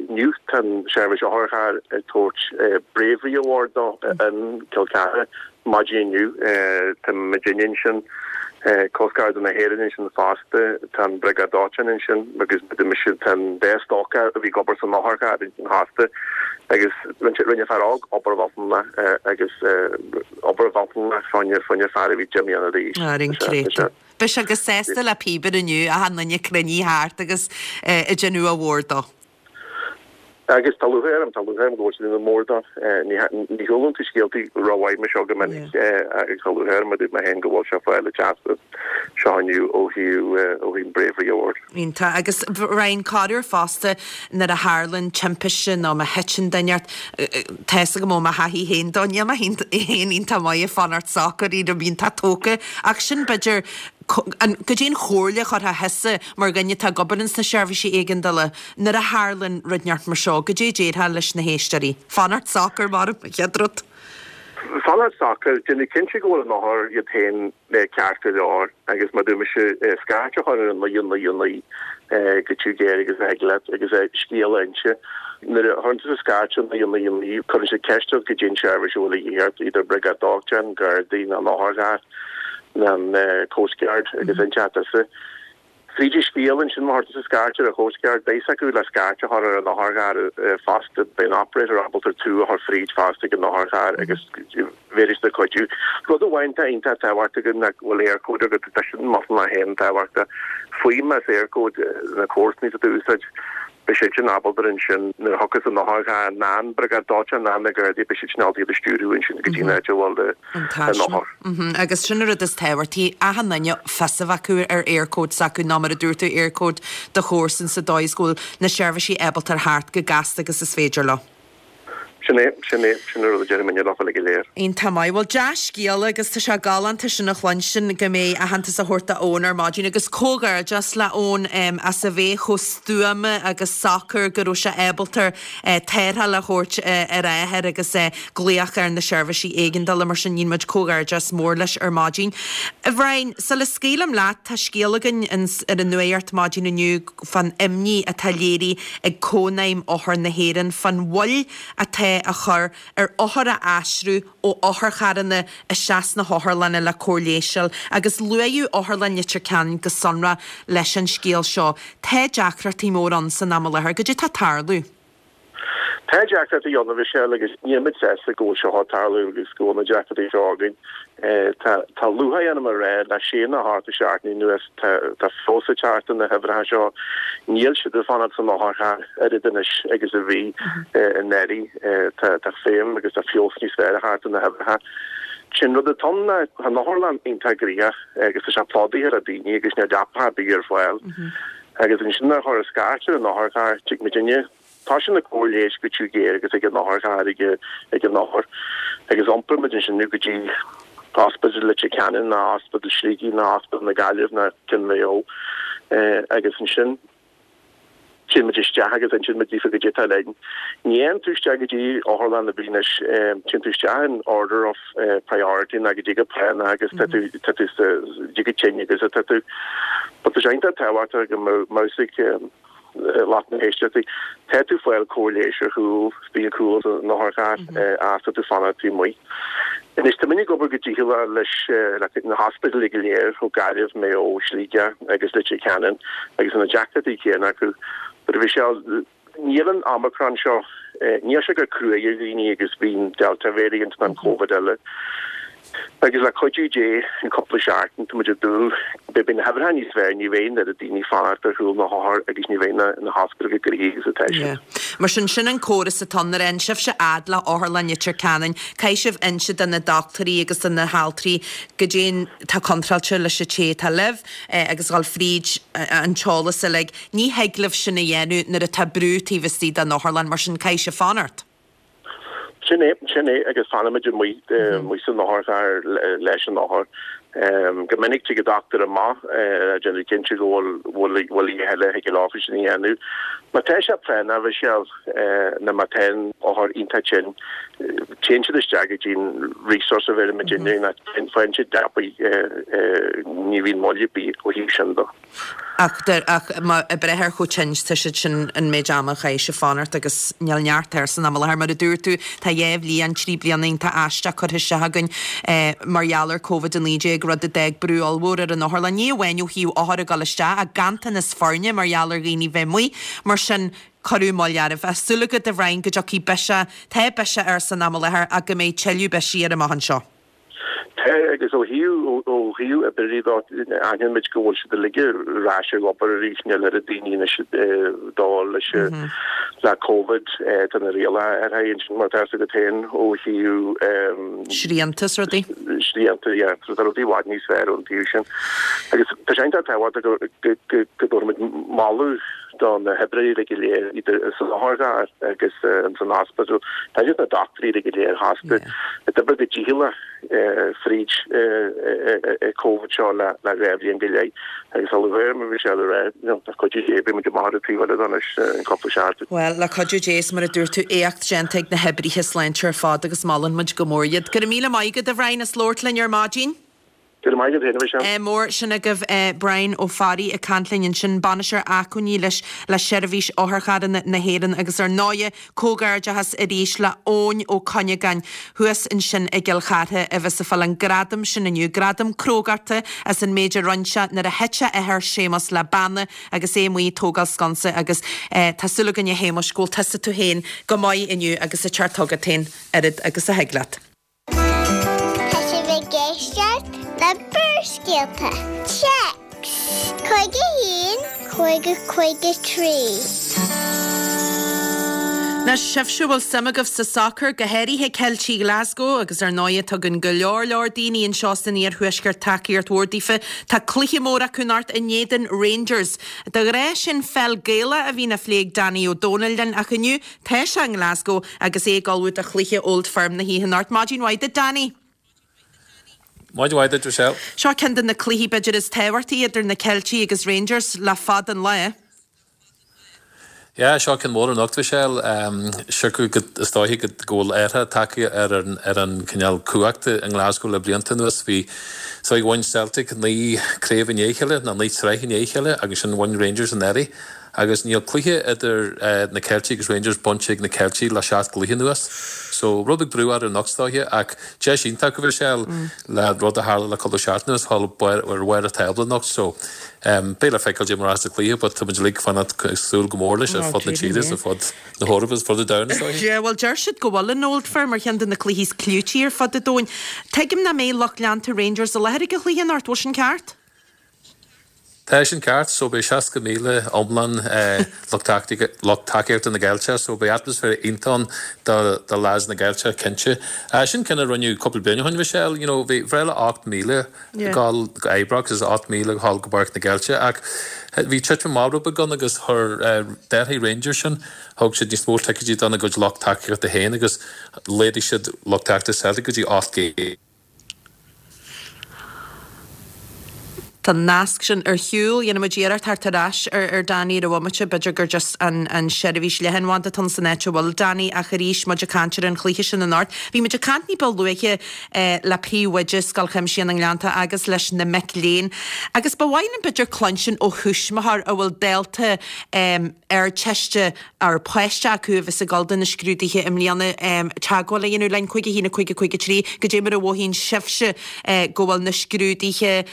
inniu, tá an seirbhís otharchairr ag tabhairt Bravery Award dó in Cill Chartha. Maidin inniu, tá muidinne ansin, Coastguard na hÉireann ansin fosta, tá an Briogáid Dóiteáin ansin agus mise, tá an dá stócach a bhí ag obair san otharcharr ansin fosta agus rinne fear óg obair mhillteanach agus obair mhillteanach fá choinne fear a bhí 10 mbliana d'aois. Ar an gcréatúr. Beidh sé go sásta le píobaire inniu, achan duine cruinnithe thart agus ag déanamh a mhór dó. Agus tá lúcháir orm, tá lúcháir orm go bhfuil siad ina mór dó. Ní chualann tú scéaltaí rómhaith mar seo go minic agus tá lúcháir orm a dúirt mé féin go bhfuil sé ag fáil an teastas seo inniu ó thaobh ó thaobh an Bravery Award. Iontach. Agus Ryan, corruair fosta nuair a tharlann timpiste nó má thiteann duine ort, tá fhios agam ó mo thaithí féin dó, níl mé féin iontach maith ag fanacht socair, éirim iontach tógtha ach sin b'fhéidir Goidé an chomhairle a chuirfeá thusa mar dhuine atá ag obair ins na seirbhísí éigeandála nuair a tharlann rud inteacht mar seo, goidé a déarfá leis na héisteoirí? Fanacht socair, mar an chéad rud. Fanacht socair, déanamh cinnte go bhfuil an othar iad féin ceart go leor agus mar dúirt mise, scairt a chur ar an 999 go tiubh géar agus a thig leat agus scéal a inse. Nuair a chuireann tusa scairt ar 999 cuireann siad ceist ort goidé an tseirbhís a bhfuil a dhíth ort, either briogáid dóiteáin, Gardaí nó an otharcharr. an Coast Guard agus inseoidh tusa fríd an scéal ansin má chuir tusa scairt ar an Coast Guard beidh fhios acu le scairt a chur ar an otharcharr fosta beidh an operator ábalta tú a chur fríd fosta ag an otharcharr agus bhéarfaidh siad cuidiú. Rud amháin atá iontach tábhachtach againn ná go bhfuil Eircode agat tá sin maslach féin tábhachtach. Fuaim as Eircode na comharsanaí atá tú a úsáid Beidh siad sin ábalta ansin nuair a thiocfas an otharcharr nó an briogáid dóiteáin nó na Gardaí beidh siad sin ábalta iad a stiúrú ansin go dtí an áit a bhfuil an othar. Agus sin an rud is tábhachtaí, achan duine fios a bheith acu ar Eircode s'acu nó mar a dúirt tú Eircode do chomharsan sa dóigh is go bhfuil na seirbhísí ábalta a theacht chomh gasta agus is féidir leo. Sin é, sin é, sin an rud a déarfainn leo uilig go léir. Iontach maith. Bhuel, dea-scéala agus tá sé galánta sin a chluinstin go mbeidh aitheantas á thabhairt do Eoin ar maidin agus comhghairdeas le Eoin as a bheith chomh stuama agus socair go raibh sé ábalta tarrtháil a thabhairt ar a athair agus glaoch ar na seirbhísí éigeandála mar sin dhein muid comhghairdeas mór leis ar maidin. A Bhriain, sula scaoilim leat, tá scéal againn ar an Nuacht maidin inniu fán imní atá léirithe ag Cónaidhm Othar na hÉireann fán mhoill atá á chur ar othair a aistriú ó otharcharranna isteach sna hotharlanna le cóir leighis a fháil agus luaíodh Otharlann Leitir Ceanainn go sonrach leis an scéal seo. Tá deacrachtaí móra ann san am i láthair. Goidé atá ag tarlú? Tá deacrachtaí ann, a Mhichelle, agus níl muid sásta go bhfuil seo ag tarlú agus go bhfuil na deacrachtaí seo againn. Tá tá lúcháir orm a rá le sé nó ocht de sheachtainí anuas tá tá feabhas ag teacht ar na huimhreacha seo. Níl siad ag fanacht san otharcharr oiread anois agus a bhí anuraidh. Tá tá feidhm agus tá feabhas níos fearr ag teacht ar na huimhreacha. Sin rud atá ann ná tá an otharlann iontach gnoitheach agus tá sé plódaithe le daoine agus níl leapacha ar bith ar fáil. Agus ansin nuair a chuir scairt ar an otharcharr, tig muidinne. Toisíonn na cóir leighis go tiubh géar agus ag an otharcharr ag ag an othar. Agus iompair muid ansin go dtí Ospidéal Leitir Ceanainn ná Ospidéal Shligigh ná Ospidéal na Gaillimh ná Cionn Mhaigh Eo. Agus ansin téann muid isteach agus insíonn muid daofa goidé atá linn. Ní théann tú isteach go dtí otharlann ar bith anois, téann tú isteach in order of priority ná goidé go práinneach agus tá tú tá tú sa goidé go tinn agus tá tú. But tá sé iontach tábhachtach go mbeadh ag. lucht na héisteachta, tá tú ag fáil cóir leighis ar chúl, bíonn cúl san otharcharr ach tá tú ag fanacht taobh amuigh. Anois tá muid ag obair go dícheallach leis na hospidéil go léir ó Gaillimh, Maigh Eo, Sligeach agus Leitir Ceanainn agus na deacrachtaí céanna acu. But a Mhichelle, níl an Omicron seo, níl sé chomh cruaidh ar dhaoine agus bhí an Delta variant ná an Covid eile. Agus le cuidiú Dé, in cúpla seachtain, tá muid ag dúil, beidh na huimhreacha níos fearr, ní bheidh an oiread daoine ag fanacht ar chúl na hothar agus ní bheidh na hospidéil chomh gnoitheach agus atá siad. Mar sin, sin an córas atá ann. Nuair a fhaigheann sibhse fhad le Otharlann Leitir Ceanainn, caithfidh sibh inse do na dochtúirí agus do na haltraí goidé atá contráilte leis an té atá libh agus dhul fríd an t-eolas uilig. Ní thig libh sin a dhéanamh nuair atá brú taobh istigh den otharlann, mar sin caithfidh sibh fanacht. Sin é, sin é, agus fanaimid amuigh, amuigh san otharcharr leis an othar. Go minic tig an dochtúir amach ag déanamh cinnte go bhfuil, bhfuil, bhfuil a thuilleadh a thig leo sin a dhéanamh. Má tá sé práinneach, a Mhichelle, nó má tá an othar iontach tinn, téann siad isteach go dtí an resource a bheirimid inniu, nó faigheann siad leapaidh, ní bhíonn moill ar bith ó thaobh sin de. Ach ach má ag breith ar chomh tinn is tá siad sin an méid ama a chaithfidh sibh fanacht agus níl neart air san am i láthair. Mar a dúirt tú, tá dhá bhliain, trí bliana iontach aisteach curtha isteach againn mar gheall ar Covid-19, rud a d'fhág brú ollmhór ar an otharlann, ní amháin ó thaobh othair ag dul isteach ach ganntanas foirne mar gheall ar dhaoine bheith amuigh. Mar sin, cuireadh moill oraibh. Ach súil agat, a Bhrian, go dtiocfaidh biseach, tá biseach air san am i láthair ach go mbeidh tuilleadh bisigh air amach anseo. Tá, agus ó thaobh, ó thaobh oibreoirí de, aithníonn muid go bhfuil siad uilig ar ais ag obair arís, níl oiread daoine anois ag dul leis le Covid, tá na rialacha athraithe ansin mar atá a fhios agat féin ó thaobh. Srianta is rudaí. Srianta, yeah, so tá rudaí i bhfad níos fearr ón taobh sin. Agus tá sé iontach tábhachtach go, go, go, go dtabharfaimid moladh do na hoibreoirí uilig go léir, idir san otharcharr agus san ospidéal. Tá iad na dochtúirí uilig go léir fosta ag obair go dícheallach fríd Covid seo le dhá bhliain go leith agus tá lúcháir orm a Mhichelle a rá le cuidiú Dé beidh muid amach ar an taobh eile de anois in cúpla seachtain. Bhuel, le cuidiú Dé is mar a dúirt tú, éacht déanta ag na hoibrithe sláinte ar fad agus molann muid go mór iad. Go raibh míle maith agat a Bhrian as labhairt linn ar maidin. Go raibh maith agat féin, a Mhichelle. Mór sin agaibh Brian Ó Fearraigh ag caint linn ansin, Bainisteoir Acmhainní leis le Seirbhís Otharcharranna na hÉireann agus ar ndóighe comhghairdeachas arís le Eoin Ó Cuinneagáin thuas ansin i gCill Chartha a bheas ag fáil an gradam sin inniu, gradam crógachta as an méid a rinne sé nuair a thit a athair Séamus le banna agus é amuigh ag tógáil sconsa agus tá súil againn a Shéamuis go bhfuil tusa tú féin go maith inniu agus ag teacht chugat féin oiread agus a thig leat. Tá sibh ag éisteacht le Barrscéalta. Téacs 51 50 53. Anois, sibhse a bhfuil suim agaibh sa sacar, go háirithe Ceiltigh Ghlasgow, agus ar ndóighe tugann go leor leor daoine anseo san iarthuaisceart tacaíocht mhór daofa, tá cluiche mór acu anocht in éadan Rangers. De ghnáth sin pheil Gaelach a bhíonn á phlé ag Danny Ó Dónaill linn ach inniu Tá sé i nGlasgow agus é ag ullmhú do chluiche Old Firm na hoíche anocht. Maidin mhaith duit, Danny. Maidin mhaith duit, Michelle. Seo ceann de na cluichí b'fhéidir is tábhachtaí idir na Ceiltigh agus Rangers le fada an lá. Yeah, seo ceann mór anocht, Michelle. Siocair go, is dóiche go bhfuil aortha tagtha ar an ar an cineál cumhacht i nGlasgow le blianta anuas. Bhí, so bhain Celtic 9 craobh i ndiaidh a chéile, nó 9 tsraith i ndiaidh a chéile agus ansin bhain Rangers anuraidh. Agus níl cluiche idir na Ceiltigh agus Rangers bainte ag na Ceiltigh le 7 gcluiche anuas. So, rud beag brú orthu anocht is dóiche ach deis iontach a Mhichelle le rud a tharla le cúpla seachtain anuas dhul ar bharr an tábla anocht. So, beidh le feiceáil cad é mar a rachaidh an cluiche but tá muid uilig ag fanacht ag súil go mór leis ar fud na tíre is ar fud na hEorpa is ar fud an domhain is dóiche. Yeah, bhuel deir siad go bhfuil an Old Firm ar cheann de na cluichí is clúití ar fud an domhain. Tuigim nach mbeidh lucht leanta Rangers i láthair ag an chluiche anocht, bhfuil sin ceart? Tá sin ceart, so beidh 60,000 iomlán lucht tacaíochta na gCeilteach, so beidh atmaisféar iontach ann do do leaids na gCeilteach cinnte. Sin ceann a rinneadh cúpla bliain ó shin, Michelle, you know bhí breis le 8,000 ag dul go Ibrox agus 8,000 ag dul go Páirc na gCeilteach ach bhí titim amach rud beag ann agus chuir d'athraigh Rangers sin, thug siad níos mó ticéidí dona gcuid lucht tacaíochta féin agus laghdaigh siad lucht tacaíochta Celtic go dtí 800. Tá an nasc sin ar shiúl. Dhéanfaidh muid iarracht theacht ar ais ar Danny ar bhomaite. B'fhéidir gur just an an seirbhís leathanbhanda atá ann san áit a bhfuil Danny ach arís muid ag caint ar an chluiche sin anocht. Bhí muid ag caint ní ba luaithe le príomhoide Scoil Chuimsitheach na nGleannta agus leis na mic léinn agus ba mhaith linn b'fhéidir cluinstin ó thuismitheoir a bhfuil dalta Ardteiste ar páiste acu a bheas ag dul do na scrúduithe i mbliana teagmháil a dhéanamh linn, 5 1 5 5 3, goidé mar a mhothaíonn sibhse go bhfuil na scrúduithe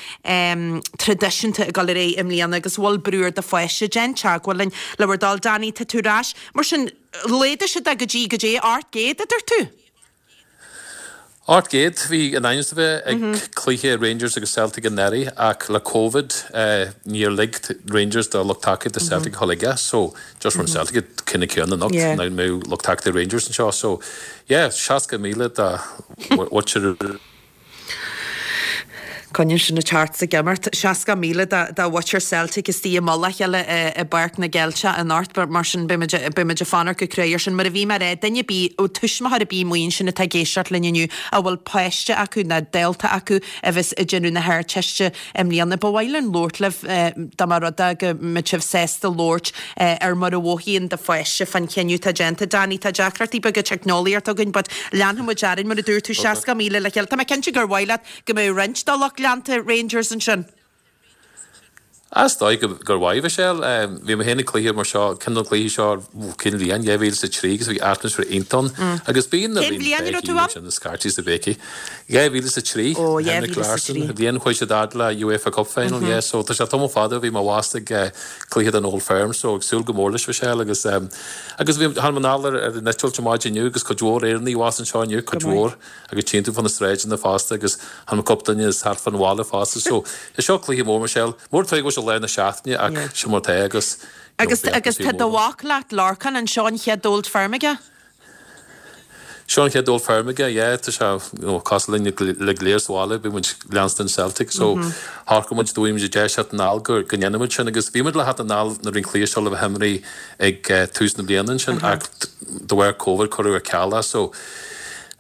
traidisiúnta ag dul ar aghaidh i mbliana agus bhfuil brú ar do pháiste, déan teagmháil linn le bhur dtoil. Danny, tá tú ar ais. Mar sin, laghdaigh siad é go dtí, goidé, 800 a dúirt tú? 800, bhí in ainm is a bheith ag cluiche Rangers agus Celtic anuraidh ach le Covid níor lig Rangers do lucht tacaíochta Celtic a dhul aige so just mar Celtic an cinneadh céanna anocht nach mbeadh lucht tacaíochta Rangers anseo so yeah 60,000 de mhuintir Coinníonn sin ag teacht sa gcimeacht. 60,000 de mhuintir Celtic istigh i mullach a chéile i bPáirc na gCeilteach anocht. Mar sin, beidh muid beidh muid ag fanacht go cruaidh air sin. Mar a bhí mé a rá, duine ar bith, tuismitheoir ar bith amuigh ansin atá ag éisteacht linn inniu a bhfuil páiste acu nó dalta acu a bheas ag déanamh na hArdteiste i mbliana, ba mhaith linn labhairt libh dá mba rud é go mbeadh sibh sásta labhairt ar mar a mhothaíonn do pháiste fán chinneadh atá déanta. Danny, tá deacrachtaí beaga teicneolaíochta againn but leanfaidh muid orainn mar a dúirt tú, 60,000 le chéile. Tá mé cinnte gur mhaith leat go mbeadh roinnt de lucht leanta Rangers ansin. Is dóigh gur mhaith, Michelle. Bhí mé féin ag cluiche mar seo, ceann de na cluichí seo, cén bhliain? 2003 agus bhí atmaisféar iontach ann. Agus bíonn na Cén bhliain a raibh tú ann? na scairtí is na béicí. 2003, Ó, Henrik 2003. Larsson, an bhliain chuaigh siad fhad le UEFA Cup Final, yeah, so tá sé tamall fada ó bhí mé abhus ag cluiche den Old Firm, so ag súil go mór leis, Michelle, agus agus bhí, tháinig mé anall ar an eitilt ar maidin inniu agus cuid mhór Éireannaigh abhus anseo inniu, cuid mhór. Agus tchíonn tú fá na sráideanna fosta agus chonaic mé cúpla duine thart fán bhaile fosta. So, is seo cluiche mór, Michelle. Mór tuige go bhfuil sé lá na seachtaine ach sin mar atá agus you know, Agus agus tá do mhac leat, Lorcán, an seo an chéad Old Firm aige? Seo an chéad Old Firm aige, yeah, tá sé you know, cosúil linn uilig go léir sa bhaile, bíonn muid ag leanstan Celtic so shocraigh muid dá bhfaigheadh muid an deis theacht anall go go ndéanfaidh muid sin agus bhí muid le theacht anall nuair a bhí an cluiche seo le bheith imrithe ag tús na bliana ansin ach de bharr Covid cuireadh ar ceal é so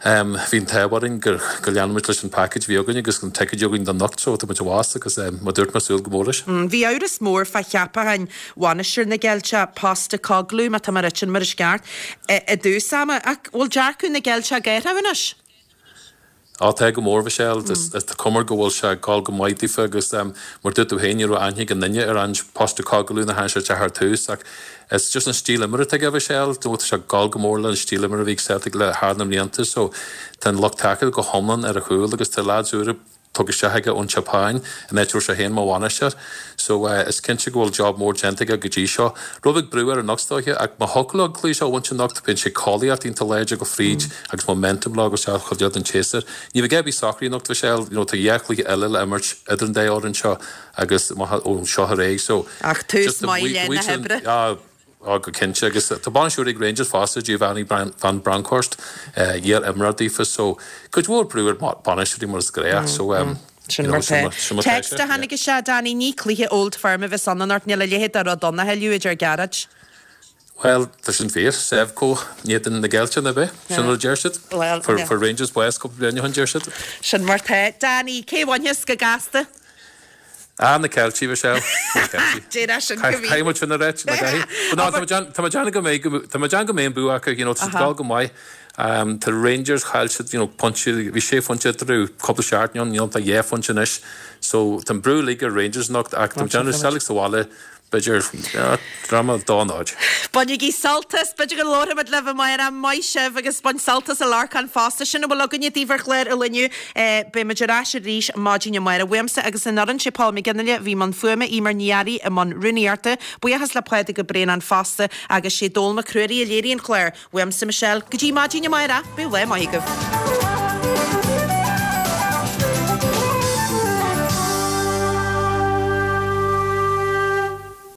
Bhí an t-ádh orainn gur go lean muid leis an package a bhí againn agus an ticket a bhí againn don anocht so tá muid abhus agus mar dúirt mé súil go mór leis. Bhí amhras mór fá cheapachán bhainisteoir na gCeilteach, Postecoglou, má tá mé ag ráit sin mar is ceart, i dtús ama. Ach bhfuil dearcadh na gCeilteach ag athrú anois? Á tá go mór, Michelle. Tá cuma air go bhfuil sé ag gabháil go maith daofa agus mar dúirt tú féin ní raibh aithne ag aon duine ar Ange Postecoglou nuair a tháinig sé isteach ar tús ach Is just an stíl imeartha atá aige Michelle, do tá sé ag gabháil go mór le an stíl imeartha a bhí ag Celtic le thar na mblianta so tá an lucht tacaíochta go hiomlán ar a chúl agus tá lads úra tugtha isteach aige ón tSeapáin an áit a raibh sé féin mar bhainisteoir so is cinnte go bhfuil job mór déanta aige go dtí seo. Rud beag brú air anocht is dóiche ach má thiocfadh leo an cluiche seo a bhaint anocht bíonn sé cáilíocht iontach láidir go fríd agus momentum leo agus isteach chomh don tséasúr. Ní bheidh a bith socraithe anocht Michelle, you know tá dhá chluiche eile le imirt idir an dá fhoireann seo agus maith ó seo ar aghaidh so Ach tús maith le na hoibre. Á go cinnte agus tá bainisteoir ag Rangers fosta, Giovanni van Bronckhorst, iar-imreoir daofa so cuid mhór brú ar bainisteoirí mar is gnách so Sin mar tá. Text a tháinig isteach, Danny, ní cluiche Old Firm a bheas ann anocht, níl a leithéid de rud ann a thuilleadh, a deir Gearóid. Bhuel, tá sin fíor. Sevco in éadan na gCeilteach, ab é? Sin rud a deir siad. Bhuel, Fuair fuair Rangers bás cúpla bliain ó shin, deir siad. Sin mar tá. Danny, cé bhainfeas go gasta? Ah, na Ceiltigh, Michelle. Na Ceiltigh. Déarfá sin go bhí. Caithfidh muid sin a ráit, na gcaithfidh. But no, tá mé déan- tá mé déanamh go mbeidh, tá mé déanamh go mbeidh an bua acu, you know, tá siad ag dul go maith. Um, tá Rangers, chaill siad, you know, pointe, bhí sé phointe eatarthu cúpla seachtain ó shin, you know, tá dhá phointe anois. So, tá an brú uilig ar Rangers anocht ach tá mé déanamh Celtic sa bhaile, B'fhéidir, drama 2-0. Bainigí sult as, b'fhéidir go labharfaimid libh amárach. Maith sibh agus bain sult as a Lorcán fosta. Sin a bhfuil againne daoibh ar chlár an lae inniu. Beidh muid ar ais arís maidin amárach. Uaimse agus an fhoireann, sé Paul McGinley a bhí i mbun fuaime, Eimear Ní Fhearraigh i mbun rúnaíochta. Buíochas le Pádraig Ó Braonáin fosta agus sé Dónal Mac Ruairí a léirigh an clár. Uaimse Michelle, go dtí maidin amárach, bíodh lá maith agaibh.